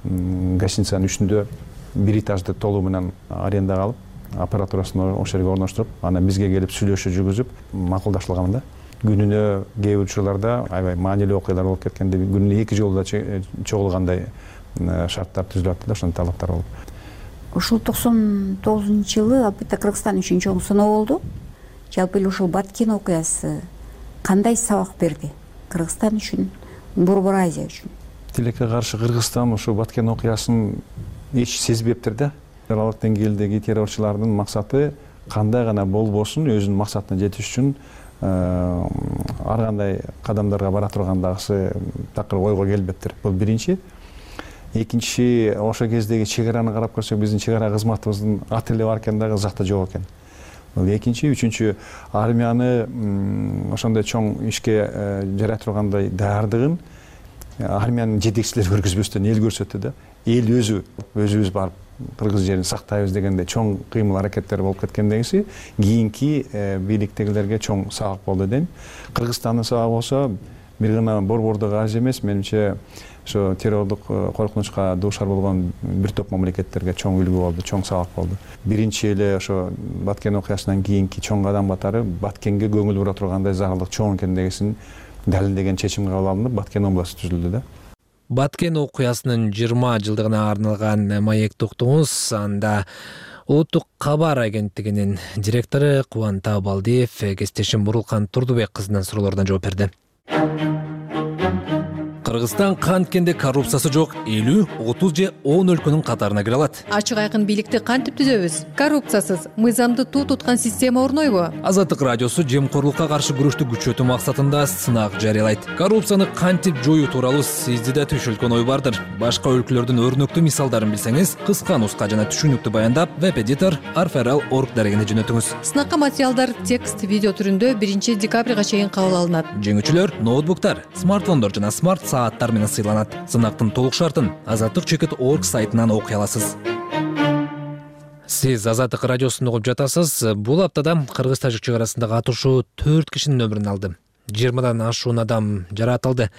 гостиницанын үстүндө бир этажды толугу менен арендага алып, аппаратурасын ошол жерге орноштуруп, анан бизге келип сүйлөшүү жүргүзүп, макулдашылган да. Күнүнө кээ бир учурларда аябай маанилүү окуялар болуп кеткенде, күнүнө эки жолу да чогулгандай шарттар түзүлүп атты да, ошонун талаптар болуп. Ушул токсон тогузунчу жылы албетте Кыргызстан үчүн чоң сыноо болду. Жалпы эле ушул Баткен окуясы кандай сабак берди Кыргызстан үчүн, Борбор Азия үчүн? Тилекке каршы Кыргызстан ушул Баткен окуясын эч сезбептир да. Аралык деңгээлдеги террорчулардын максаты кандай гана болбосун өзүнүн максатына жетиш үчүн ар кандай кадамдарга бара тургандагысы такыр ойго келбептир. Бул биринчи. Экинчи, ошол кездеги чек араны карап көрсөк, биздин чек ара кызматыбыздын ат эле бар экен дагы, ызакта жок экен. Бул экинчи. Үчүнчү, армияны ошондой чоң ишке жарай тургандай даярдыгын армиянын жетекчилери көргөзбөстөн эл көрсөттү да. Эл өзү өзүбүз барып кыргыз жерин сактайбыз дегенде чоң кыймыл аракеттер болуп кеткендегиси кийинки бийликтегилерге чоң сабак болду дейм. Кыргызстандын сабагы болсо бир гана борбордогу аз эмес, менимче ошо террордук коркунучка дуушар болгон бир топ мамлекеттерге чоң үлгү болду, чоң сабак болду. Биринчи эле ошо Баткен окуясынан кийинки чоң кадам катары Баткенге көңүл бура тургандай зарылдык чоң экендигин далилдеген чечим кабыл алынып, Баткен областы түзүлдү да. Баткен окуясынын жыйырма жылдыгына арналган маек токтоңуз, анда Улуттук кабар агенттигинин директору Кубанта Балдиев кесиптешим Бурулкан Турдубек кызынан суроолоруна жооп берди. Кыргызстан канткенде коррупциясы жок элүү, отуз же он өлкөнүн катарына кире алат. Ачык айкын бийликти кантип түзөбүз? Коррупциясыз, мыйзамды туу туткан система орнойбу? Азаттык радиосу жемкорлукка каршы күрөштү күчөтүү максатында сынак жарыялайт. Коррупцияны кантип жоюу тууралуу сизди да түшүлгөн ой бардыр. Башка өлкөлөрдүн өрнөктүү мисалдарын билсеңиз, кыска нуска жана түшүнүктүү баяндап, веб-эдитор арферал точка орг дарегине жөнөтүңүз. Сынакка материалдар текст, видео түрүндө биринчи декабрга чейин кабыл алынат. Жеңүүчүлөр ноутбуктар, смартфондор жана смарт сааттар менен сыйланат. Сынактын толук шартын азаттык чекит точка орг сайтынан окуй аласыз. Сиз Азаттык радиосун угуп жатасыз. Бул аптада кыргыз-тажик чек арасындагы атышуу төрт кишинин өмүрүн алды. жыйырмадан ашуун адам жаратылды.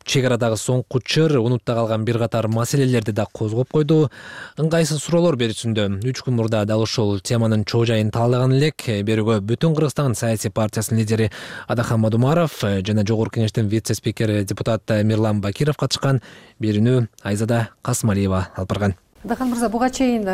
Чек арадагы соңку чыр унутта калган бир катар маселелерди да козгоп койду. Ыңгайсыз суроолор берүүсүндө үч күн мурда дал ушул теманын чоо жайын талкылаган элек. Берүүгө Бүтүн Кыргызстан саясий партиясынын лидери Адахан Мадумаров жана Жогорку Кеңештин вице-спикери депутат Мирлан Бакиров катышкан. Берүүнү Айзада Касымалиева алып барган. Адахан мырза, буга чейин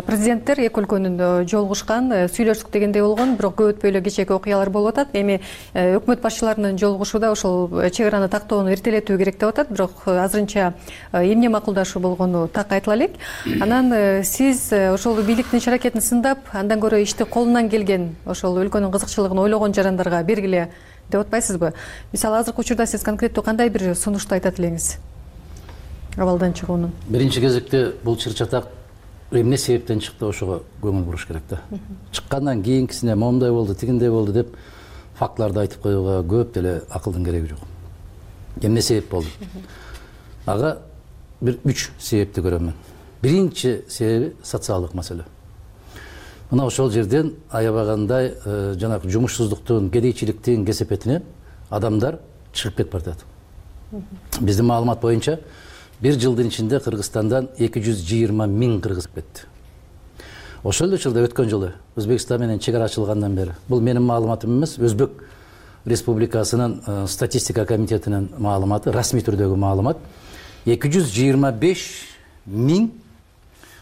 президенттер эки өлкөнүн жолугушкан, сүйлөштүк дегендей болгон, бирок көп өтпөй эле кечээки окуялар болуп атат. Эми өкмөт башчыларынын жолугушууда ошол чек араны тактоону эртелетүү керек деп атат, бирок азырынча эмне макулдашуу болгону так айтыла элек. Анан сиз ошол бийликтин иш аракетин сындап, андан көрө ишти колунан келген, ошол өлкөнүн кызыкчылыгын ойлогон жарандарга бергиле деп атпайсызбы? Мисалы, азыркы учурда сиз конкреттүү кандай бир сунушту айтат элеңиз? Абалдан чыгуунун. Биринчи кезекте бул чыр-чатак эмне себептен чыкты, ошого көңүл буруш керек да. Чыккандан кийинкисине момундай болду, тигиндей болду деп фактыларды айтып коюуга көп деле акылдын кереги жок. Эмне себеп болду? Ага бир үч себепти көрөм мен. Биринчи себеби социалдык маселе. мына ошол жерден аябагандай жанагы жумушсуздуктун, кедейчиликтин кесепетинен адамдар чыгып кетип баратат. Биздин маалымат боюнча бир жылдын ичинде Кыргызстандан эки жүз жыйырма миң кыргыз кетти. Ошол эле жылда өткөн жылы Өзбекстан менен чек ара ачылгандан бери, бул менин маалыматым эмес, Өзбек Республикасынын статистика комитетинин маалыматы, расмий түрдөгү маалымат, эки жүз жыйырма беш миң.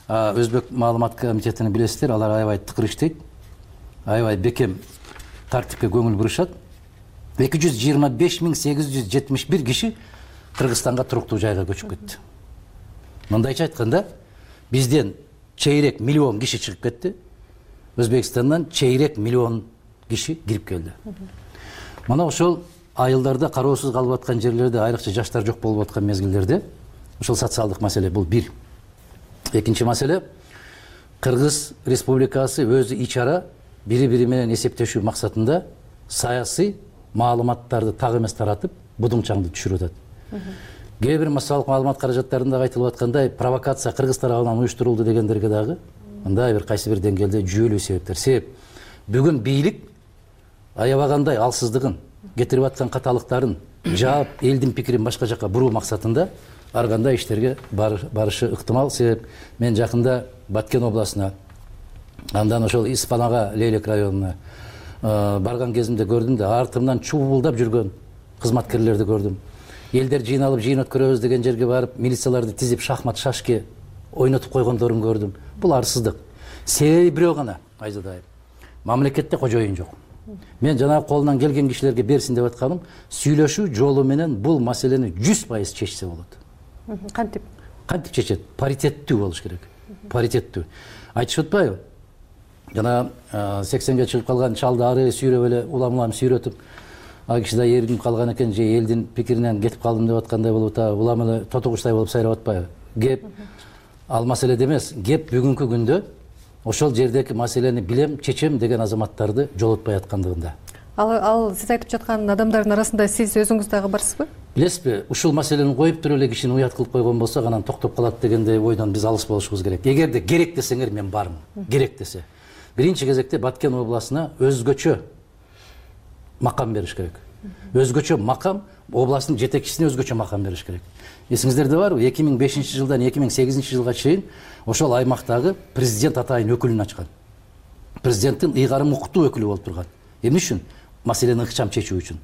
Өзбек маалымат комитетини билесиздер, алар аябай тыкыр иштейт, аябай бекем тартипке көңүл бурушат. эки жүз жыйырма беш миң сегиз жүз жетимиш бир киши Кыргызстанга туруктуу жайга көчүп кетти. Мындайча айтканда, бизден чейрек миллион киши чыгып кетти, Өзбекстандан чейрек миллион киши кирип келди. Мына ошол айылдарда кароосуз калып аткан жерлерде, айрыкча жаштар жок болуп аткан мезгилдерде ошол социалдык маселе, бул бир. Экинчи маселе, Кыргыз Республикасы өзү ичара бири-бири менен эсептешүү максатында саясий маалыматтарды так эмес таратып, будумчаңды түшүрүп атат. Кээ бир массалык маалымат каражаттарында айтылып аткандай, провокация Кыргыз тарабынан уюштурулду дегендерге дагы мындай бир кайсы бир деңгээлде жүйөлүү себептер. Себеп бүгүн бийлик аябагандай алсыздыгын, кетирип аткан каталыктарын жаап, элдин пикирин башка жака буруу максатында ар кандай иштерге барышы ыктымал. Себеп мен жакында Баткен областына, андан ошол Испанага, Лейлек районуна барган кезимде көрдүм да, артымдан чубулдап жүргөн кызматкерлерди көрдүм. Элдер жыйналып жыйын өткөрөбүз деген жерге барып, милицияларды тизип шахмат, шашки ойнотуп койгондорун көрдүм. Бул арсыздык. Себеби бирөө гана, Айзада айым. Мамлекетте кожоюн жок. Мен жанагы колунан келген кишилерге берсин деп атканым, сүйлөшүү жолу менен бул маселени жүз пайыз чечсе болот. Кантип? Кантип чечет? Паритеттүү болуш керек. Паритеттүү. Айтышып атпайбы? Жана сексенге чыгып калган чалды ары сүйрөп эле улам-улам сүйрөтүп, а киши да эргинип калган экен, же элдин пикиринен кетип калдым деп аткандай болуп атабы, улам эле тотугучтай болуп сайрап атпайбы? Кеп ал маселеде эмес, кеп бүгүнкү күндө ошол жердеги маселени билем, чечем деген азаматтарды жолотпай аткандыгында. Ал ал сиз айтып жаткан адамдардын арасында сиз өзүңүз дагы барсызбы? Билесизби, ушул маселени коюп туруп эле кишини уят кылып койгон болсок, анан токтоп калат дегендей ойдон биз алыс болушубуз керек. Эгерде керек десеңер мен бармын. Керек десе. Биринчи кезекте Баткен областына өзгөчө макам бериш керек. Өзгөчө макам, областтын жетекчисине өзгөчө макам бериш керек. Эсиңиздерде барбы? эки миң бешинчи жылдан эки миң сегизинчи жылга чейин ошол аймактагы президент атайын өкүлүн ачкан. Президенттин ыйгарым укуктуу өкүлү болуп турган. Эмне үчүн? Маселени ыкчам чечүү үчүн.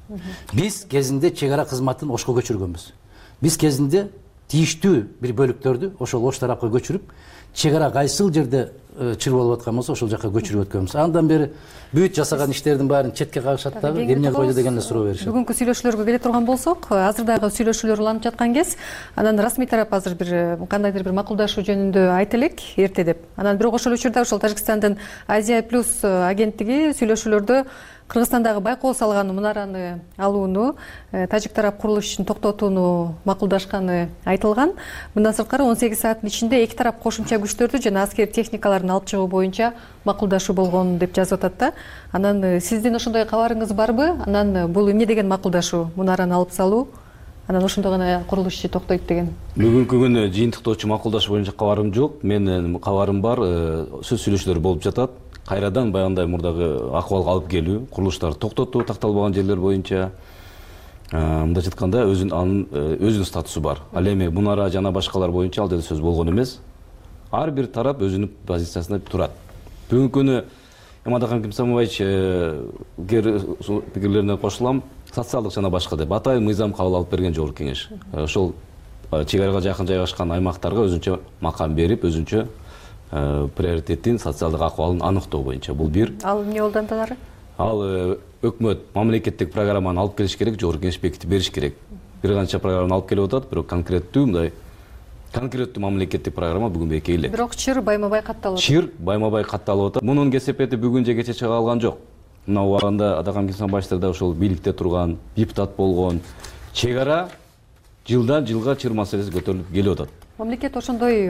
Биз кезинде чек ара кызматын Ошко көчүргөнбүз. Биз кезинде тийиштүү бир бөлүктөрдү ошол Ош тарапка көчүрүп, чек ара кайсыл жерде чыр болуп аткан болсо ошол жака көчүрүп өткөнбүз. Андан бери бүт жасаган иштердин баарын четке кагышат дагы, эмне койду деген эле суроо беришет. Бүгүнкү сүйлөшүүлөргө келе турган болсок, азырдагы сүйлөшүүлөр уланып жаткан кез, анан расмий тарап азыр бир кандайдыр бир макулдашуу жөнүндө айт элек эрте деп. Анан бирок ошол учурда ошол Тажикстандын Азия плюс агенттиги сүйлөшүүлөрдө Кыргызстандагы байкоо салган мунараны алууну, тажик тарап курулуш ишин токтотууну макулдашканы айтылган. Мындан сырткары он сегиз сааттын ичинде эки тарап кошумча күчтөрдү жана аскер техникаларын алып чыгуу боюнча макулдашуу болгон деп жазып атат да. Анан сиздин ошондой кабарыңыз барбы? Анан бул эмне деген макулдашуу? Мунараны алып салуу, анан ошондо гана курулуш иши токтойт деген. Бүгүнкү күнү жыйынтыктоочу макулдашуу боюнча кабарым жок. Менин кабарым бар, сөз сүйлөшүүлөр болуп жатат. Кайрадан баягындай мурдагы акыбалга алып келүү, курулуштарды токтотуу, такталбаган жерлер боюнча, мындайча айтканда анын өзүнүн статусу бар. Ал эми мунара жана башкалар боюнча ал жерде сөз болгон эмес. Ар бир тарап өзүнүн позициясында турат. Бүгүнкү күнү Эмадакан Кимсамович пикирлерине кошулам, социалдык жана башка деп атайын мыйзам кабыл алып берген жогорку кеңеш. Ошол чек арага жакын жайгашкан аймактарга өзүнчө макам берип, өзүнчө приоритеттин социалдык акыбалын аныктоо боюнча. Бул бир. Ал эмне болду андан ары? Ал өкмөт мамлекеттик программаны алып келиш керек, жогорку кеңеш бекитип бериш керек. Бир канча программаны алып келип атат, бирок конкреттүү мындай конкреттүү мамлекеттик программа бүгүн бекей элек. Бирок чыр байма-бай катталып атат. Чыр байма-бай катталып атат. Мунун кесепети бүгүн же кече чыга алган жок. Мына убагында Адакан Кимсамбаевдер да ошол бийликте турган, депутат болгон, чек ара жылдан жылга чыр маселеси көтөрүлүп келип атат. мамлекет ошондой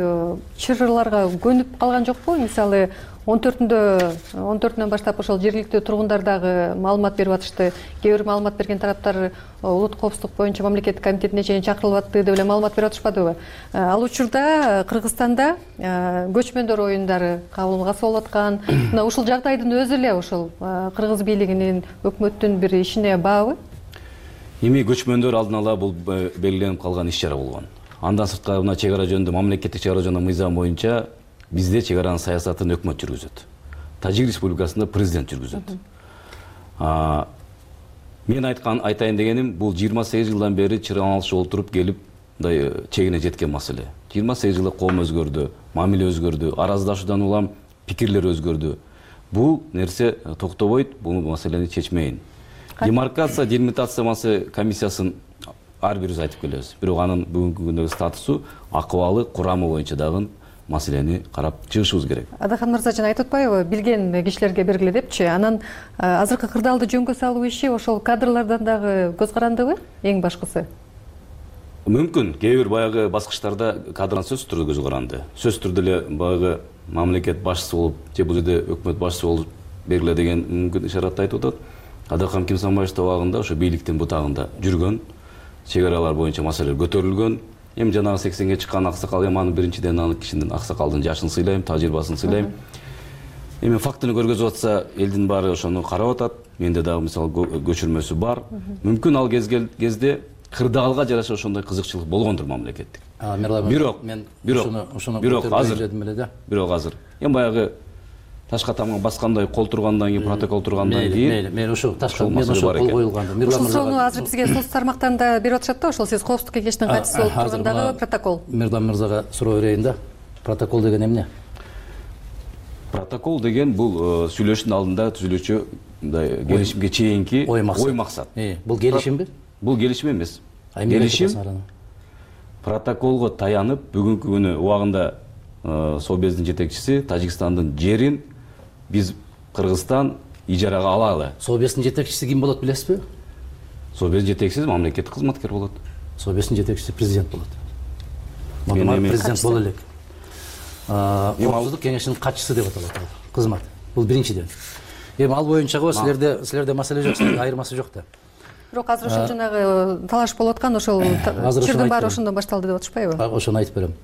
чырыларга көнүп калган жокпу? Мисалы он төртүндө он төртүнөн баштап ошол жергиликтүү тургундар дагы маалымат берип атышты. Кээ бир маалымат берген тараптар улуттук коопсуздук боюнча мамлекеттик комитетине чейин чакырылып атты деп эле маалымат берип атышпадыбы? Ал учурда Кыргызстанда көчмөндөр оюндары кабылгаысы болуп аткан. Мына ушул жагдайдын өзү эле ошол кыргыз бийлигинин, өкмөттүн бир ишине баабы? Эми көчмөндөр алдын ала бул белгиленип калган иш чара болгон. Андан сырткары мына чек ара жөнүндө мамлекеттик чек ара жөнүндө мыйзам боюнча бизде чек аранын саясатын өкмөт жүргүзөт. Тажик Республикасында президент жүргүзөт. Мен айткан айтайын дегеним, бул жыйырма сегиз жылдан бери чыран алышы олтуруп келип, мындай чегине жеткен маселе. жыйырма сегиз жылда коом өзгөрдү, мамиле өзгөрдү, араздашуудан улам пикирлер өзгөрдү. Бул нерсе токтобойт, бул маселени чечмейин. Демаркация, делимитация комиссиясын ар бирибиз айтып келебиз. Бирок анын бүгүнкү күндөгү статусу, акыбалы, курамы боюнча дагы маселени карап чыгышыбыз керек. Адахан мырза жана айтып атпайбы, билген кишилерге бергиле депчи. Анан азыркы кырдаалды жөнгө салуу иши ошол кадрлардан дагы көз карандыбы эң башкысы? Мүмкүн, кээ бир баягы баскычтарда кадрдан сөзсүз түрдө көз каранды. Сөзсүз түрдө эле баягы мамлекет башчысы болуп, же бул жерде өкмөт башчысы болуп бергиле деген мүмкүн ишаратты айтып атат. Адахан Кимсанбаевдин убагында ошо бийликтин бутагында жүргөн, чек аралар боюнча маселелер көтөрүлгөн. Эми жанагы сексенге чыккан аксакал, эми анын биринчиден анын кишинин аксакалдын жашын сыйлайм, тажрыйбасын сыйлайм. Эми фактыны көргөзүп атса, элдин баары ошону карап атат. Менде дагы мисалы көчүрмөсү бар. Мүмкүн ал кезде кырдаалга жараша ошондой кызыкчылык болгондур мамлекеттик. Бирок мен бирок бирок азыр бирок азыр эми баягы ташка тамга баскандай, кол тургандан кийин, протокол тургандан кийин мен ошо ташка мен ошо кол коюлганды. Ошол суроonu азыр бизге соц тармактан да берип атышат да, ошол сиз коопсуздук кеңештин катчысы болуп тургандагы протокол. Мирлан мырзага суроо берейин да. Протокол деген эмне? Протокол деген бул сүйлөшүүнүн алдында түзүлүүчү мындай келишимге чейинки ой максат. Бул келишимби? Бул келишим эмес. Келишим протоколго таянып, бүгүнкү күнү убагында Собездин жетекчиси Тажикстандын жерин биз Кыргызстан ижарага алалы. Собездин жетекчиси ким болот билесизби? Собездин жетекчиси мамлекеттик кызматкер болот. Собездин жетекчиси президент болот. Модумар президент боло элек. Коопсуздук кеңешинин катчысы деп аталат ал кызмат. Бул биринчиден. Эми ал боюнча силерде силерде маселе жок, айырмасы жок да. Бирок азыр ошол жанагы талаш болуп аткан ошол чырдын баары ошондон башталды деп атышпайбы? Ошону айтып берем.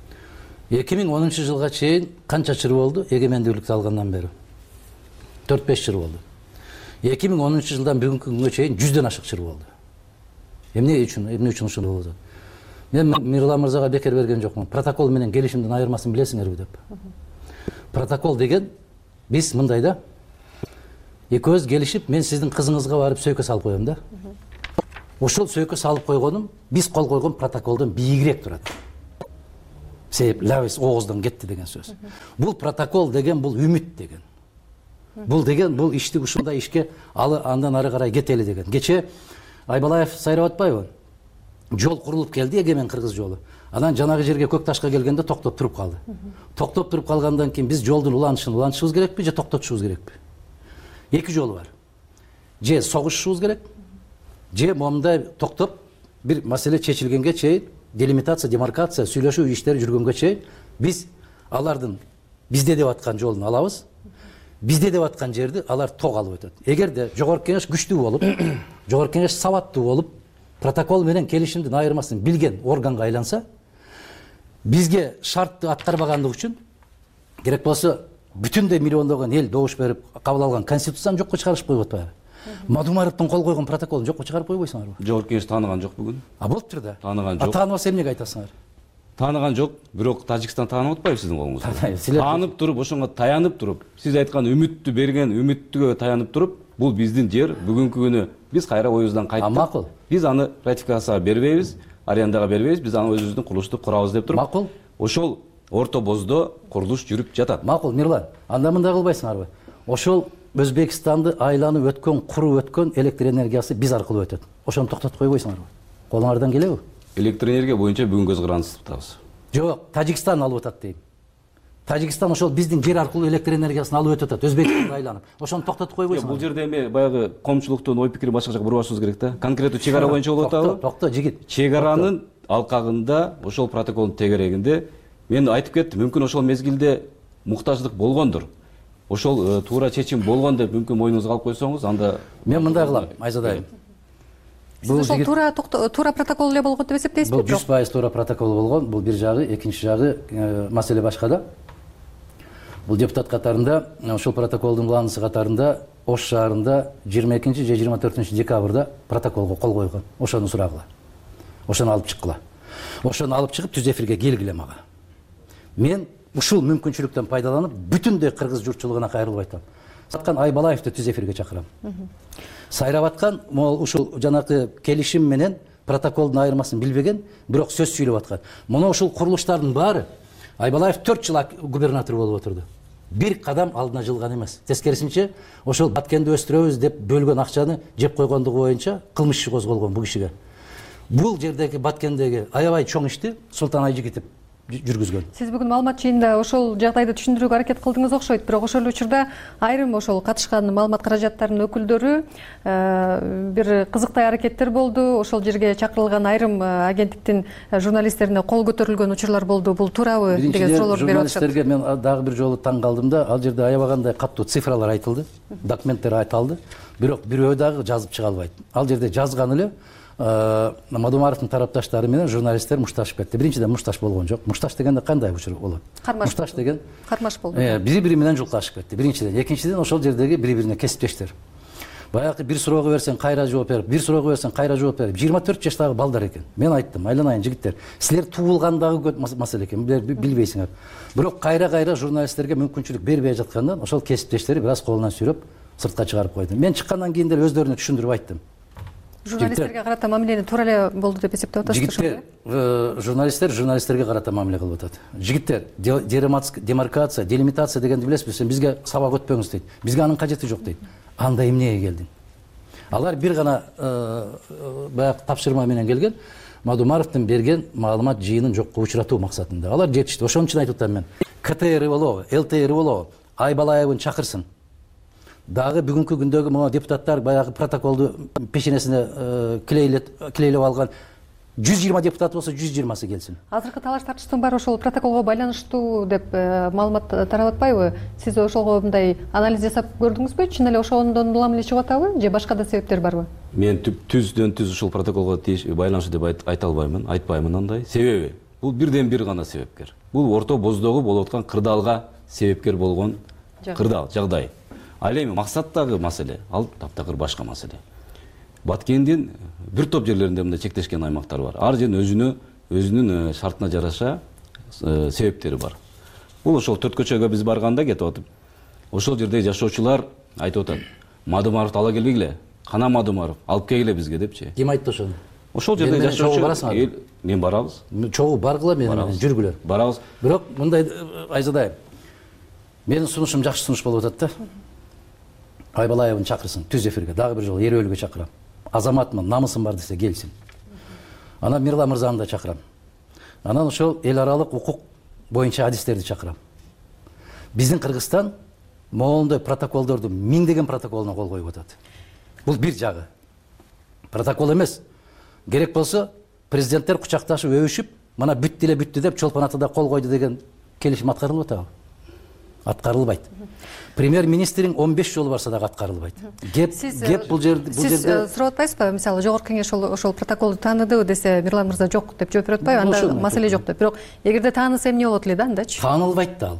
эки миң онунчу жылга чейин канча чыр болду эгемендүүлүктү алгандан бери? төрт беш чыр болду. эки миң онунчу жылдан бүгүнкү күнгө чейин жүздөн ашык чыр болду. Эмне үчүн, эмне үчүн ушул болду? Мен Мирлан мырзага бекер берген жокмун. Протокол менен келишимдин айырмасын билесиңерби деп. Протокол деген биз мындай да. Экөөбүз келишип, мен сиздин кызыңызга барып сөйкө салып коем да. Ошол сөйкө салып койгонум биз кол койгон протоколдон бийигирээк турат. Себеп лабыз ооздон кетти деген сөз. Бул протокол деген бул үмүт деген. Бул деген бул ишти ушундай ишке алы андан ары карай кетели деген. Кече Айбалаев сайрап атпайбы? Жол курулуп келди, эгемен кыргыз жолу. Анан жанагы жерге көк ташка келгенде токтоп туруп калды. Токтоп туруп калгандан кийин биз жолдун уланышын улантышыбыз керекпи же токтотушубуз керекпи? Эки жолу бар. Же согушушубуз керек, же момундай токтоп бир маселе чечилгенге чейин, делимитация, демаркация, сүйлөшүү иштери жүргөнгө чейин биз алардын бизде деп аткан жолун алабыз. Бизде деп аткан жерди алар ток алып өтөт. Эгерде жогорку кеңеш күчтүү болуп, жогорку кеңеш сабаттуу болуп, протокол менен келишимдин айырмасын билген органга айланса, бизге шартты аткарбагандык үчүн керек болсо бүтүндөй миллиондогон эл добуш берип кабыл алган конституцияны жокко чыгарышып коюп атпайбы? Мадумаровдун кол койгон протоколун жокко чыгарып койбойсуңарбы? Жогорку кеңеш тааныган жок бүгүн. А болуптур да. Тааныган жок. Тааныбаса эмнеге айтасыңар? Тааныган жок, бирок Тажикстан таанып атпайбы сиздин колуңузду? Таанып туруп, ошонго таянып туруп, сиз айткан үмүттү берген үмүттүгө таянып туруп, бул биздин жер, бүгүнкү күнү биз кайра оюбуздан кайттык. Макул. Биз аны ратификацияга бербейбиз, арендага бербейбиз, биз аны өзүбүздүн курулушту курабыз деп туруп. Макул. Ошол орто боздо курулуш жүрүп жатат. Макул, Мирлан. Анда мындай кылбайсыңарбы? Ошол Өзбекстанды айланып өткөн, куруп өткөн электр энергиясы биз аркылуу өтөт. Ошону токтотуп койбойсуңарбы? Колуңардан келеби? Электр энергия боюнча бүгүн көз карандысыз атабыз. Жок, Тажикстан алып атат дейм. Тажикстан ошол биздин жер аркылуу электр энергиясын алып өтөт, Өзбекстанды айланып. Ошону токтотуп койбойсуңарбы? Бул жерде эми баягы коомчулуктун ой пикири башка жака бурбашыбыз керек да. Конкреттүү чек ара боюнча болуп атабы? Токто, жигит. Чек аранын алкагында ошол протоколдун тегерегинде мен айтып кеттим, мүмкүн ошол мезгилде муктаждык болгондур. Ошол туура чечим болгон деп мүмкүн мойнуңузга алып койсоңуз, анда мен мындай кылам, Айзада айым. Бул ошол туура туура протокол эле болгон деп эсептейсизби? Бул жүз пайыз туура протокол болгон. Бул бир жагы, экинчи жагы маселе башка да. Бул депутат катарында, ошол протоколдун уланысы катарында Ош шаарында жыйырма экинчи же жыйырма төртүнчү декабрда протоколго кол койгон. Ошону сурагыла. Ошону алып чыккыла. Ошону алып чыгып түз эфирге келгиле мага. Мен ушул мүмкүнчүлүктөн пайдаланып бүтүндөй кыргыз журтчулугуна кайрылып айтам. Саткан Айбалаевди түз эфирге чакырам. Сайрап аткан, могул ушул жанакы келишим менен протоколдун айырмасын билбеген, бирок сөз сүйлөп аткан. Муну ушул курулуштардын баары Айбалаев төрт жыл губернатор болуп отурду. Бир кадам алдына жылган эмес. Тескерисинче, ошол Баткенди өстүрөбүз деп бөлгөн акчаны жеп койгондугу боюнча кылмыш иши козголгон бул кишиге. Бул жердеги Баткендеги аябай чоң ишти Султан Айжигитов жүргүзгөн. Сиз бүгүн маалымат жыйында ошол жагдайды түшүндүрүүгө аракет кылдыңыз окшойт, бирок ошол учурда айрым ошол катышкан маалымат каражаттарынын өкүлдөрү бир кызыктай аракеттер болду. Ошол жерге чакырылган айрым агенттиктин журналисттерине кол көтөрүлгөн учурлар болду. Бул туурабы деген суроолорду берип атышат. Журналисттерге мен дагы бир жолу таң калдым да, ал жерде аябагандай каттуу цифралар айтылды, документтер айтылды, бирок бирөө дагы жазып чыга албайт. Ал жерде жазган эле Мадумаровдун тарапташтары менен журналисттер мушташып кетти. Биринчиден мушташ болгон жок. Мушташ дегенде кандай учур болот? Мушташ деген кармаш болду. Бири-бири менен жулкашып кетти. Биринчиден, экинчиден ошол жердеги бири-бирине кесиптештер. Баягы бир суроого берсең кайра жооп берип, бир суроого берсең кайра жооп берип, жыйырма төрт жаштагы балдар экен. Мен айттым, айланайын жигиттер, силер туулгандагы маселе экен, билбейсиңер. Бирок кайра-кайра журналисттерге мүмкүнчүлүк бербей жаткандан ошол кесиптештери бир аз колунан сүйрөп сыртка чыгарып койду. Мен чыккандан кийин деле өздөрүнө түшүндүрүп айттым. Журналисттерге карата мамилени туура эле болду деп эсептеп атасызбы? Жигиттер, журналисттер журналисттерге карата мамиле кылып атат. Жигиттер, демаркация, делимитация дегенди билесизби? Бизге сабак өтпөңүз дейт. Бизге анын кажети жок дейт. Анда эмнеге келдиң? Алар бир гана баягы тапшырма менен келген, Мадумаровдун берген маалымат жыйынын жокко учуратуу максатында. Алар жетишти. Ошон үчүн айтып атам мен. КТР болобу, ЛТР болобу, Айбалаевын чакырсын. Дагы бүгүнкү күндөгү могу депутаттар баягы протоколду пешенесине килейлеп алган жүз жыйырма депутат болсо жүз жыйырмасы келсин. Азыркы талаш тартыштын баары ошол протоколго байланыштуу деп маалымат тарап атпайбы? Сиз ошого мындай анализ жасап көрдүңүзбү? Чын эле ошондон улам эле чыгып атабы же башка да себептер барбы? Мен түздөн түз ушул протоколго байланыштуу деп айта албаймын, айтпаймын андай. Себеби бул бирден бир гана себепкер. Бул Орто Боздогу болуп аткан кырдаалга себепкер болгон кырдаал жагдай. Ал эми максаттагы маселе, ал таптакыр башка маселе. Баткендин бир топ жерлеринде мындай чектешкен аймактар бар. Ар жердин өзүнө, өзүнүн шартына жараша себептери бар. Бул ошол төрт көчөгө биз барганда кетип атып, ошол жерде жашоочулар айтып атат. Мадумаровду ала келгиле, кана Мадумаров, алып келгиле бизге депчи. Ким айтты ошону? Ошол жерде жашоочу эл мен барабыз. Чогуу баргыла менен жүргүлөр. Барабыз. Бирок мындай Айзадай, менин сунушум жакшы сунуш болуп атат да. Айбалаевын чакырсын түз эфирге, дагы бир жолу эрөөлгө чакырам. Азаматмын, намысым бар десе келсин. Анан Мирла мырзаны да чакырам. Анан ошол эл аралык укук боюнча адистерди чакырам. Биздин Кыргызстан могулундай протоколдорду миңдеген протоколуна кол коюп атат. Бул бир жагы. Протокол эмес. Керек болсо президенттер кучакташып өбүшүп, мына бүттү эле бүттү деп Чолпон Атада кол койду деген келишим аткарылып атабы? Аткарылбайт. Премьер-министрин он беш жолу барса дагы аткарылбайт. Кеп кеп бул жерде бул жерде сиз сурап атпайсызбы? Мисалы, жогорку кеңеш ошол протоколду тааныды десе, Мирлан мырза жок деп жооп берип атпайбы? Анда маселе жок деп. Бирок эгерде таанылса эмне болот эле да андачы? Таанылбайт да ал.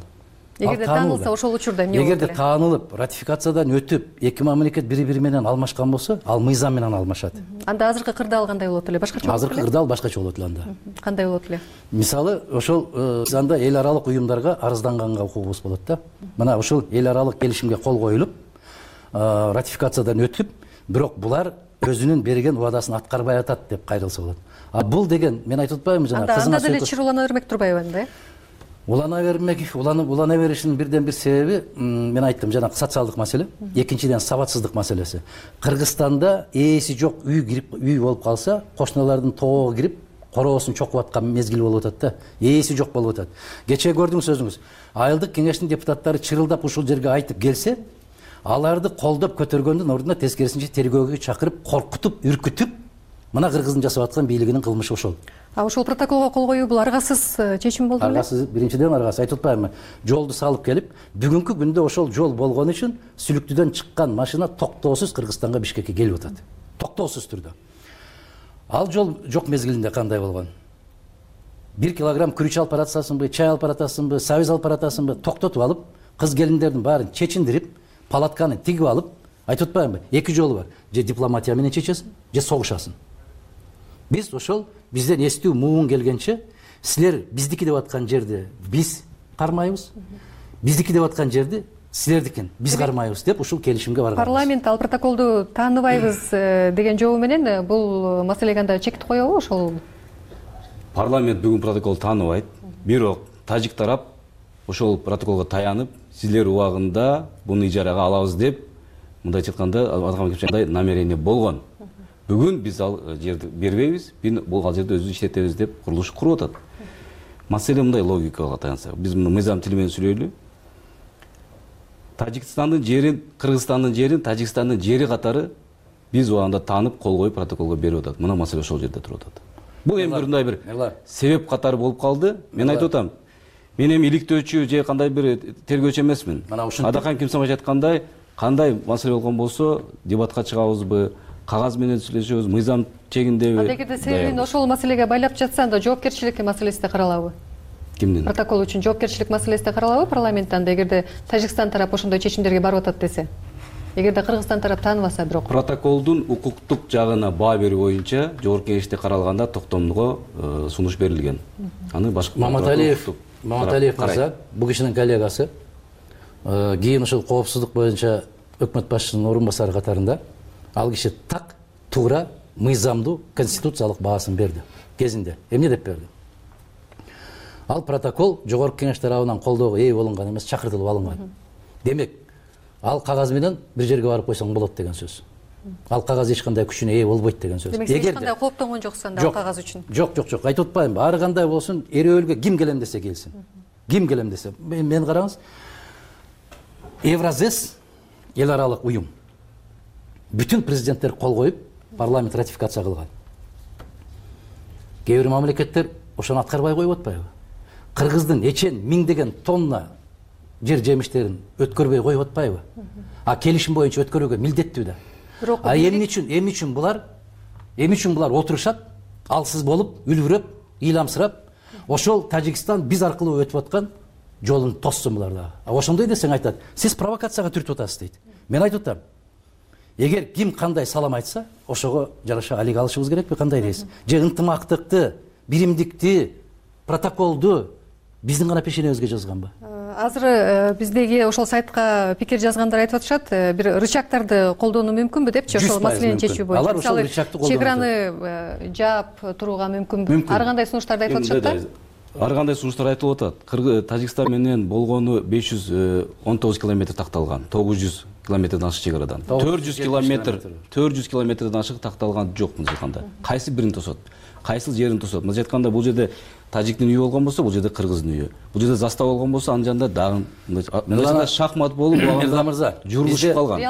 Эгерде таанылса ошол учурда эмне болот эле? Эгерде таанылып, ратификациядан өтүп, эки мамлекет бири-бири менен алмашкан болсо, ал мыйзам менен алмашат. Анда азыркы кырдаал кандай болот эле? Башкача болот эле? Азыркы кырдаал башкача болот эле анда. Кандай болот эле? Мисалы, ошол анда эл аралык уюмдарга арызданганга укугубуз болот да. Мына ошол эл аралык келишимге кол коюлуп, ратификациядан өтүп, бирок булар өзүнүн берген убадасын аткарбай атат деп кайрылса болот. А бул деген мен айтып атпаймынбы жана кызына анда деле чыр улана бермек турбайбы анда, э? Улана бермек, уланып улана беришинин бирден бир себеби, мен айттым, жана социалдык маселе, экинчиден сабатсыздык маселеси. Кыргызстанда ээси жок үй кирип, үй болуп калса, кошуналардын тоого кирип, короосун чокуп аткан мезгил болуп атат да. Ээси жок болуп атат. Кечээ көрдүңүз өзүңүз. Айылдык кеңештин депутаттары чырылдап ушул жерге айтып келсе, аларды колдоп көтөргөндүн ордуна тескерисинче тергөөгө чакырып, коркутуп, үркүтүп, мына кыргыздын жасап аткан бийлигинин кылмышы ошол. А ошол протоколго кол коюу бул аргасыз чечим болду беле? Аргасыз, биринчиден аргасыз. Айтып атпаймынбы? Жолду салып келип, бүгүнкү күндө ошол жол болгон үчүн Сүлүктүдөн чыккан машина токтоосуз Кыргызстанга, Бишкекке келип атат. Токтоосуз түрдө. Ал жол жок мезгилинде кандай болгон? бир килограмм күрүч алып баратасыңбы, чай алып баратасыңбы, сабиз алып баратасыңбы, токтотуп алып, кыз келиндердин баарын чечиндирип, палатканы тигип алып, айтып атпаймынбы? Эки жолу бар. Же дипломатия менен чечесиң, же согушасың. Биз ошол бизден эстүү муун келгенче, силер биздики деп аткан жерде биз кармайбыз, биздики деп аткан жерди силердикин биз кармайбыз деп ушул келишимге барганбыз. Парламент ал протоколду тааныбайбыз деген жобу менен бул маселеге анда чек коебу ошол? Парламент бүгүн протоколду тааныбайт. Бирок тажик тарап ошол протоколго таянып, силер убагында буну ижарага алабыз деп, мындайча айтканда, намерение болгон. Бүгүн биз ал жерди бербейбиз, бул ал жерде өзүбүз иштетебиз деп курулуш куруп атат. Маселе мындай логикага таянса, биз муну мыйзам тили менен сүйлөйлү. Тажикстандын жерин, Кыргызстандын жерин, Тажикстандын жери катары биз убагында таанып, кол коюп протоколго берип атат. Мына маселе ошол жерде туруп атат. Бул эми мындай бир себеп катары болуп калды. Мен айтып атам, мен эми иликтөөчү же кандай бир тергөөчү эмесмин. Адакан Кимсанбаев айткандай, кандай маселе болгон болсо, дебатка чыгабызбы, кагаз менен сүйлөшөбүз, мыйзам чегиндеби? Эгерде себебин ошол маселеге байлап жатса, анда жоопкерчилик маселеси да каралабы? Кимдин? Протокол үчүн жоопкерчилик маселеси да каралабы парламентте, анда эгерде Тажикстан тарап ошондой чечимдерге барып атат десе? Эгерде Кыргызстан тарап тааныбаса бирок. Протоколдун укуктук жагына баа берүү боюнча жогорку кеңеште каралганда токтомго сунуш берилген. Аны башка Маматалиев, Маматалиев мырза, бул кишинин коллегасы, кийин ушул коопсуздук боюнча өкмөт башчысынын орун басары катарында ал киши так туура мыйзамдуу конституциялык баасын берди кезинде. Эмне деп берди? Ал протокол жогорку кеңеш тарабынан колдоого ээ болунган эмес, чакыртылып алынган. Демек, ал кагаз менен бир жерге барып койсоң болот деген сөз. Ал кагаз эч кандай күчүнө ээ болбойт деген сөз. Демек, эч кандай кооптонгон жоксуң анда ал кагаз үчүн. Жок, жок, жок. Айтып атпаймынбы? Ары кандай болсун, эрөөлгө ким келем десе келсин. Ким келем десе. Мен караңыз. Евразес эл аралык уюм. Бүтүн президенттер кол коюп, парламент ратификация кылган. Кээ бир мамлекеттер ошону аткарбай коюп атпайбы? Кыргыздын эчен миңдеген тонна жер жемиштерин өткөрбөй коюп атпайбы? А келишим боюнча өткөрүүгө милдеттүү да. А эмне үчүн, эмне үчүн булар, эмне үчүн булар отурушат, алсыз болуп, үлбүрөп, ыйламсырап, ошол Тажикстан биз аркылуу өтүп аткан жолун тоссун булар да. А ошондой десең айтат, сиз провокацияга түртүп атасыз дейт. Мен айтып атам, эгер ким кандай салам айтса, ошого жараша алиге алышыбыз керекпи, кандай дейсиз? Же ынтымактыкты, биримдикти, протоколду биздин гана пешенебизге жазганбы? Азыр биздеги ошол сайтка пикир жазгандар айтып атышат, бир рычагтарды колдонуу мүмкүнбү депчи, ошол маселени чечүү боюнча. Мисалы, чек-чеграны жаап турууга мүмкүнбү? Ар кандай сунуштарды айтып атышат да? Ар кандай сунуштар айтылып атат. Тажикстан менен болгону беш жүз он тогуз километр такталган, тогуз жүз километрден ашык чек-арадан. төрт жүз километр, төрт жүз километрден ашык такталган жок мындай айтканда. Кайсы бирин тосот? Кайсыл жерин тосот? Мындай айтканда, бул жерде тажиктин үйү болгон болсо, бул жерде кыргыздын үйү. Бул жерде застава болгон болсо, анын жанында дагы мындай шахмат болуп, буга журулушуп калган.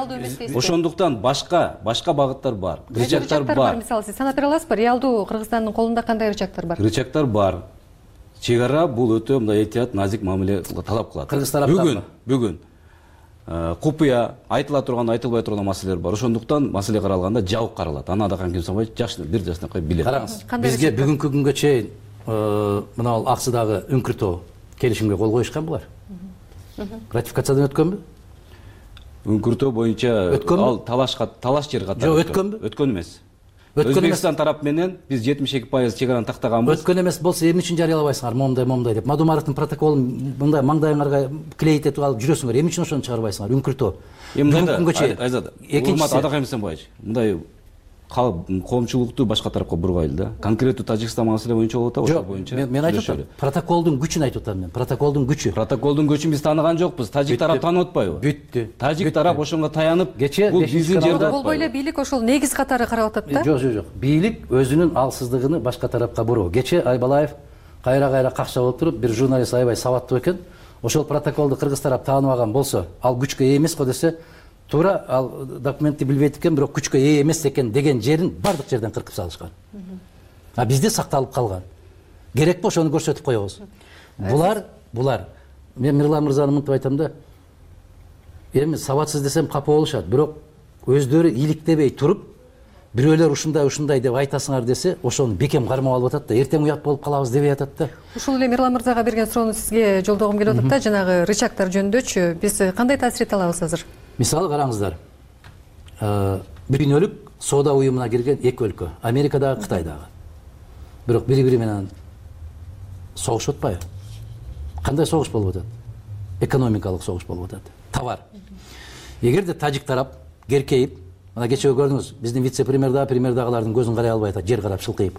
Ошондуктан башка, башка багыттар бар. Рычагтар бар. Мисалы, сиз санап бере аласызбы? Реалдуу Кыргызстандын колунда кандай рычагтар бар? Рычагтар бар. Чек-ара бул өтө мындай этият, назик мамиле талап кылат. Кыргыз тараптан бүгүн, бүгүн купуя айтыла турган, айтылбай турган маселелер бар. Ошондуктан маселе каралганда жабык каралат. Аны Адакан Кимсанбаев жакшы бир жашынакай билет. Караңыз, бизге бүгүнкү күнгө чейин мына ал Аксыдагы үңкүртөө келишимге кол коюшкан булар. Ратификациядан өткөнбү? Үңкүртөө боюнча ал талашка, талаш жер катары. Жок, өткөнбү? Өткөн эмес. Өзбекстан тарап менен биз жетимиш эки пайыз чек-араны тактаганбыз. Өткөн эмес болсо эмне үчүн жарыялабайсыңар, момундай, момундай деп. Мадумаровдун протоколун мындай маңдайыңарга клейт этип алып жүрөсүңөр. Эмне үчүн ошону чыгарбайсыңар? Үңкүртөө. Бүгүнкү күнгө чейин. Айзат, урмат Адакан Кимсанбаевич, мындай коомчулукту башка тарапка бургайлы да. Конкреттүү Тажикстан маселе боюнча болуп атабы, ошол боюнча. Мен айтып атам, протоколдун күчүн айтып атам мен. Протоколдун күчү. Протоколдун күчүн биз тааныган жокпуз. Тажик тарап таанып атпайбы? Бүттү. Тажик тарап ошонго таянып, бул биздин жерде. Болбой эле бийлик ошол негиз катары карап атат да? Жок, жок, жок. Бийлик өзүнүн алсыздыгын башка тарапка буруу. Кече Айбалаев кайра-кайра какча болуп туруп, бир журналист аябай сабаттуу экен. Ошол протоколду кыргыз тарап тааныбаган болсо, ал күчкө ээ эмес го десе, туура ал документти билбейт экен, бирок күчкө ээ эмес экен деген жерин бардык жерден кыркып салышкан. А бизде сакталып калган. Керекпи ошону көрсөтүп коебуз. Булар, булар. Мен Мирлан мырзаны мынтип айтам да. Эми сабатсыз десем капа болушат, бирок өздөрү иликтебей туруп, бирөөлөр ушундай ушундай деп айтасыңар десе, ошону бекем кармап алып атат да, эртең уят болуп калабыз дебей атат да. Ушул эле Мирлан мырзага берген суроону сизге жолдогум келип атат да, жанагы рычагтар жөнүндөчү. Биз кандай таасир эте алабыз азыр? Мисалы караңыздар. Бир дүйнөлүк соода уюмуна кирген эки өлкө, Америкадагы, Кытайдагы. Бирок бири-бири менен согушуп атпайбы? Кандай согуш болуп атат? Экономикалык согуш болуп атат. Товар. Эгерде тажик тарап керкейип, мына кечээ көрдүңүз, биздин вице-премьер да, премьер дагылардын көзүн карай албай атат, жер карап шылкыйып.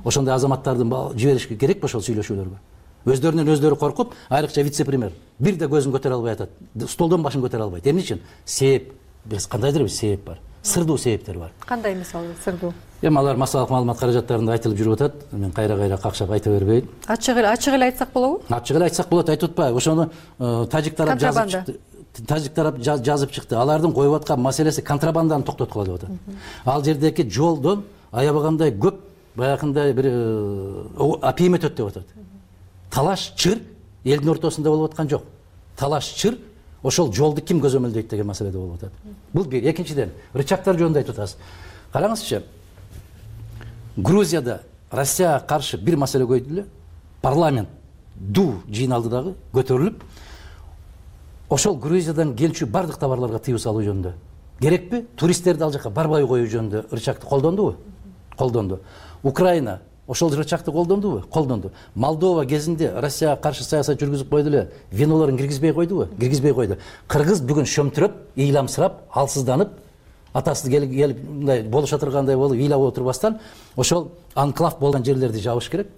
Ошондой азаматтардын жиберишке керекпи ошол сүйлөшүүлөргө? Өздөрүнөн өздөрү коркуп, айрыкча вице-премьер бир да көзүн көтөрө албай атат, столдон башын көтөрө албайт. Эмне үчүн? Себеп. Биз кандайдыр бир себеп бар. Сырдуу себептер бар. Кандай мисалы сырдуу? Эми алар массалык маалымат каражаттарында айтылып жүрүп атат. Мен кайра-кайра какшап айта бербейин. Ачык эле, ачык эле айтсак болобу? Ачык эле айтсак болот, айтып атпайбы? Ошону тажик тарап жазып чыкты. Тажик тарап жазып чыкты. Алардын коюп аткан маселеси контрабанданы токтоткула деп атат. Ал жердеки жолдон аябагандай көп баягындай бир апийим өтөт деп атат. Талаш, чыр элдин ортосунда болуп аткан жок. Талаш, чыр ошол жолду ким көзөмөлдөйт деген маселеде болуп атат. Бул бир. Экинчиден, рычагтар жөнүндө айтып атасыз. Караңызчы. Грузияда Россияга каршы бир маселе көйдү эле. Парламент ду жыйналды дагы, көтөрүлүп, ошол Грузиядан келчү бардык товарларга тыюу салуу жөнүндө. Керекпи? Туристтерди ал жака барбай коюу жөнүндө рычагты колдондубу? Колдонду. Украина ошол рычагты колдондубу? Колдонду. Молдова кезинде Россияга каршы саясат жүргүзүп койду эле, винолорун киргизбей койдубу? Киргизбей койду. Кыргыз бүгүн шөмтүрөп, ыйламсырап, алсызданып, атасы келип мындай болуша тургандай болуп, ыйлап отурбастан, ошол анклав болгон жерлерди жабыш керек.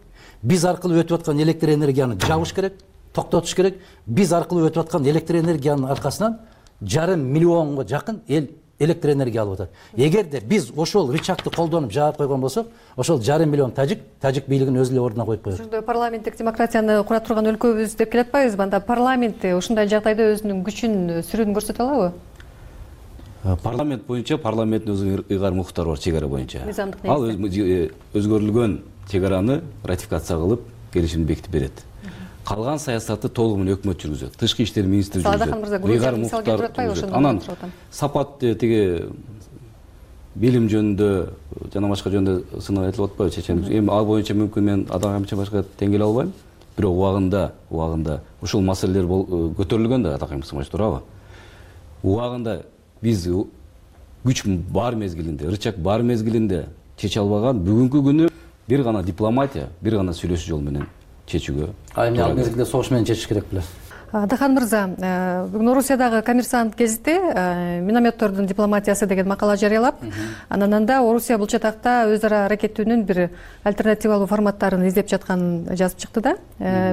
Биз аркылуу өтүп аткан электр энергияны жабыш керек, токтотуш керек. Биз аркылуу өтүп аткан электр энергиянын аркасынан жарым миллионго жакын эл электр энергия алып атат. Эгерде биз ошол рычагты колдонуп жаап койгон болсок, ошол жарым миллион тажик, тажик бийлигин өз эле ордуна коюп коет. Ошондой парламенттик демократияны кура турган өлкөбүз деп келе атпайбызбы? Анда парламент ушундай жагдайда өзүнүн күчүн, сүрүн көрсөтө алабы? Парламент боюнча парламенттин өзүнүн ыйгар мукуктары бар чек ара боюнча. Мыйзамдык Ал өзгөрүлгөн чек араны ратификация кылып, келишимди бекитип берет. Калган саясатты толугу менен өкмөт жүргүзөт. Тышкы иштер министри жүргүзөт. Ыйгар мукуктар. Анан сапат тиги билим жөнүндө жана башка жөнүндө сынак айтылып атпайбы чечен? Эми ал боюнча мүмкүн мен адам камча башка тең келе албайм. Бирок убагында, убагында ушул маселелер көтөрүлгөн да атакай мыйзам турабы? Убагында биз күч бар мезгилинде, рычаг бар мезгилинде чече албаган, бүгүнкү күнү бир гана дипломатия, бир гана сүйлөшүү жол менен чечүүгө. А эми ал мезгилде согуш менен чечиш керек беле? Дахан мырза, бүгүн Орусиядагы коммерсант гезити минометтордун дипломатиясы деген макала жарыялап, анан анда Орусия бул чатакта өз ара аракеттүүнүн бир альтернативалуу форматтарын издеп жатканын жазып чыкты да.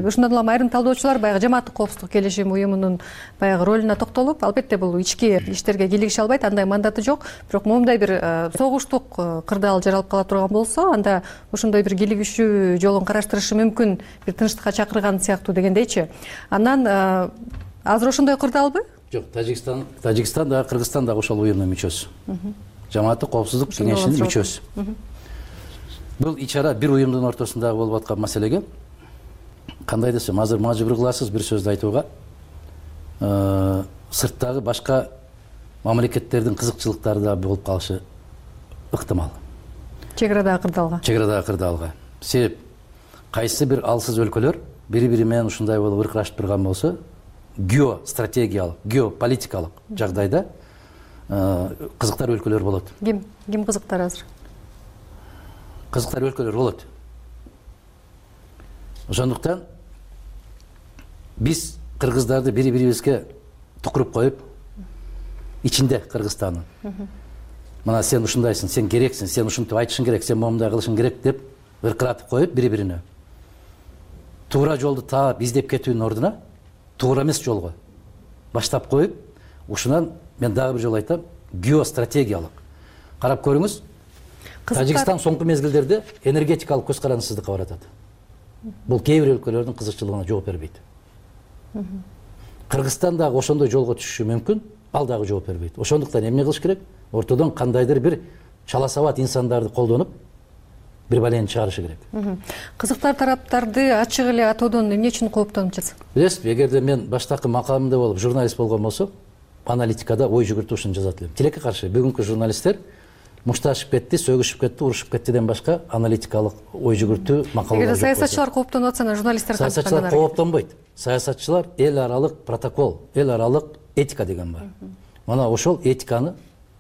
Ушундан улам айрым талдоочулар баягы жамааттык коопсуздук келишим уюмунун баягы ролуна токтолуп, албетте бул ички иштерге кийлигише албайт, андай мандаты жок, бирок момундай бир согуштук кырдаал жаралып кала турган болсо, анда ошондой бир кийлигишүү жолун караштырышы мүмкүн, бир тынчтыкка чакырган сыяктуу дегендейчи. Анан азыр ошондой кырдаалбы? Жок, Тажикстан, Тажикстан да, Кыргызстан да ошол уюмдун мүчөсү. Жамааттык коопсуздук кеңешинин мүчөсү. Бул ичара бир уюмдун ортосунда болуп аткан маселеге кандай десем, азыр мажбур кыласыз бир сөздү айтууга. Сырттагы башка мамлекеттердин кызыкчылыктары да болуп калышы ыктымал. Чек арадагы кырдаалга. Чек арадагы кырдаалга. Себеп кайсы бир алсыз өлкөлөр бири-бири менен ушундай болуп ыркырашып турган болсо, геостратегиялык, геополитикалык жагдайда кызыктар өлкөлөр болот. Ким? Ким кызыктар азыр? Кызыктар өлкөлөр болот. Ошондуктан биз кыргыздарды бири-бирибизге тукуруп коюп, ичинде Кыргызстандын. Мына сен ушундайсың, сен керексиң, сен ушинтип айтышың керек, сен момундай кылышың керек деп ыркыратып коюп бири-бирине. Туура жолду таап издеп кетүүнүн ордуна туура эмес жолго баштап коюп, ушунан мен дагы бир жолу айтам, геостратегиялык. Карап көрүңүз, Тажикстан соңку мезгилдерде энергетикалык көз карандысыздыкка баратат. Бул кээ бир өлкөлөрдүн кызыкчылыгына жооп бербейт. Кыргызстан дагы ошондой жолго түшүшү мүмкүн, ал дагы жооп бербейт. Ошондуктан эмне кылыш керек? Ортодон кандайдыр бир чала сабат инсандарды колдонуп бир балени чыгарышы керек. Кызыктар тараптарды ачык эле атоодон эмне үчүн кооптонуп жатсыз? Билесизби, эгерде мен баштакы макамымда болуп журналист болгон болсом, аналитикада ой жүгүртүп ушуну жазат элем. Тилекке каршы бүгүнкү журналисттер мушташып кетти, сөгүшүп кетти, урушуп кеттиден башка аналитикалык ой жүгүртүү макалалар жок. Эгерде саясатчылар кооптонуп атса, журналисттер кантип? Саясатчылар кооптонбойт. Саясатчылар эл аралык протокол, эл аралык этика деген бар. Мына ошол этиканы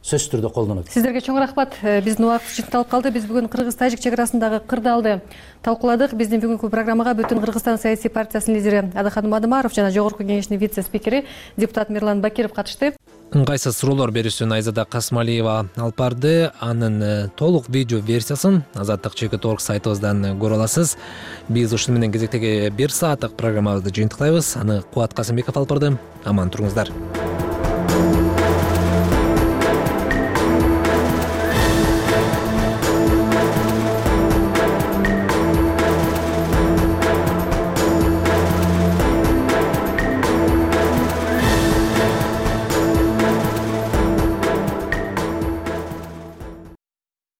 сөзсүз түрдө колдонот. Сиздерге чоң рахмат. Биздин убакыт чектелип калды. Биз бүгүн Кыргыз-Тажик чек арасындагы кырдаалды талкууладык. Биздин бүгүнкү программага Бүтүн Кыргызстан саясий партиясынын лидери Адаханым Адымаров жана Жогорку Кеңештин вице-спикери депутат Мирлан Бакиров катышты. Ыңгайсыз суроолор берүүсүн Айзада Касмалиева алып барды. Анын толук видео версиясын азаттык чекит точка орг сайтыбыздан көрө аласыз. Биз ушуну менен кезектеги бир сааттык программабызды жыйынтыктайбыз. Аны Кубат Касымбеков алып барды. Аман туруңуздар.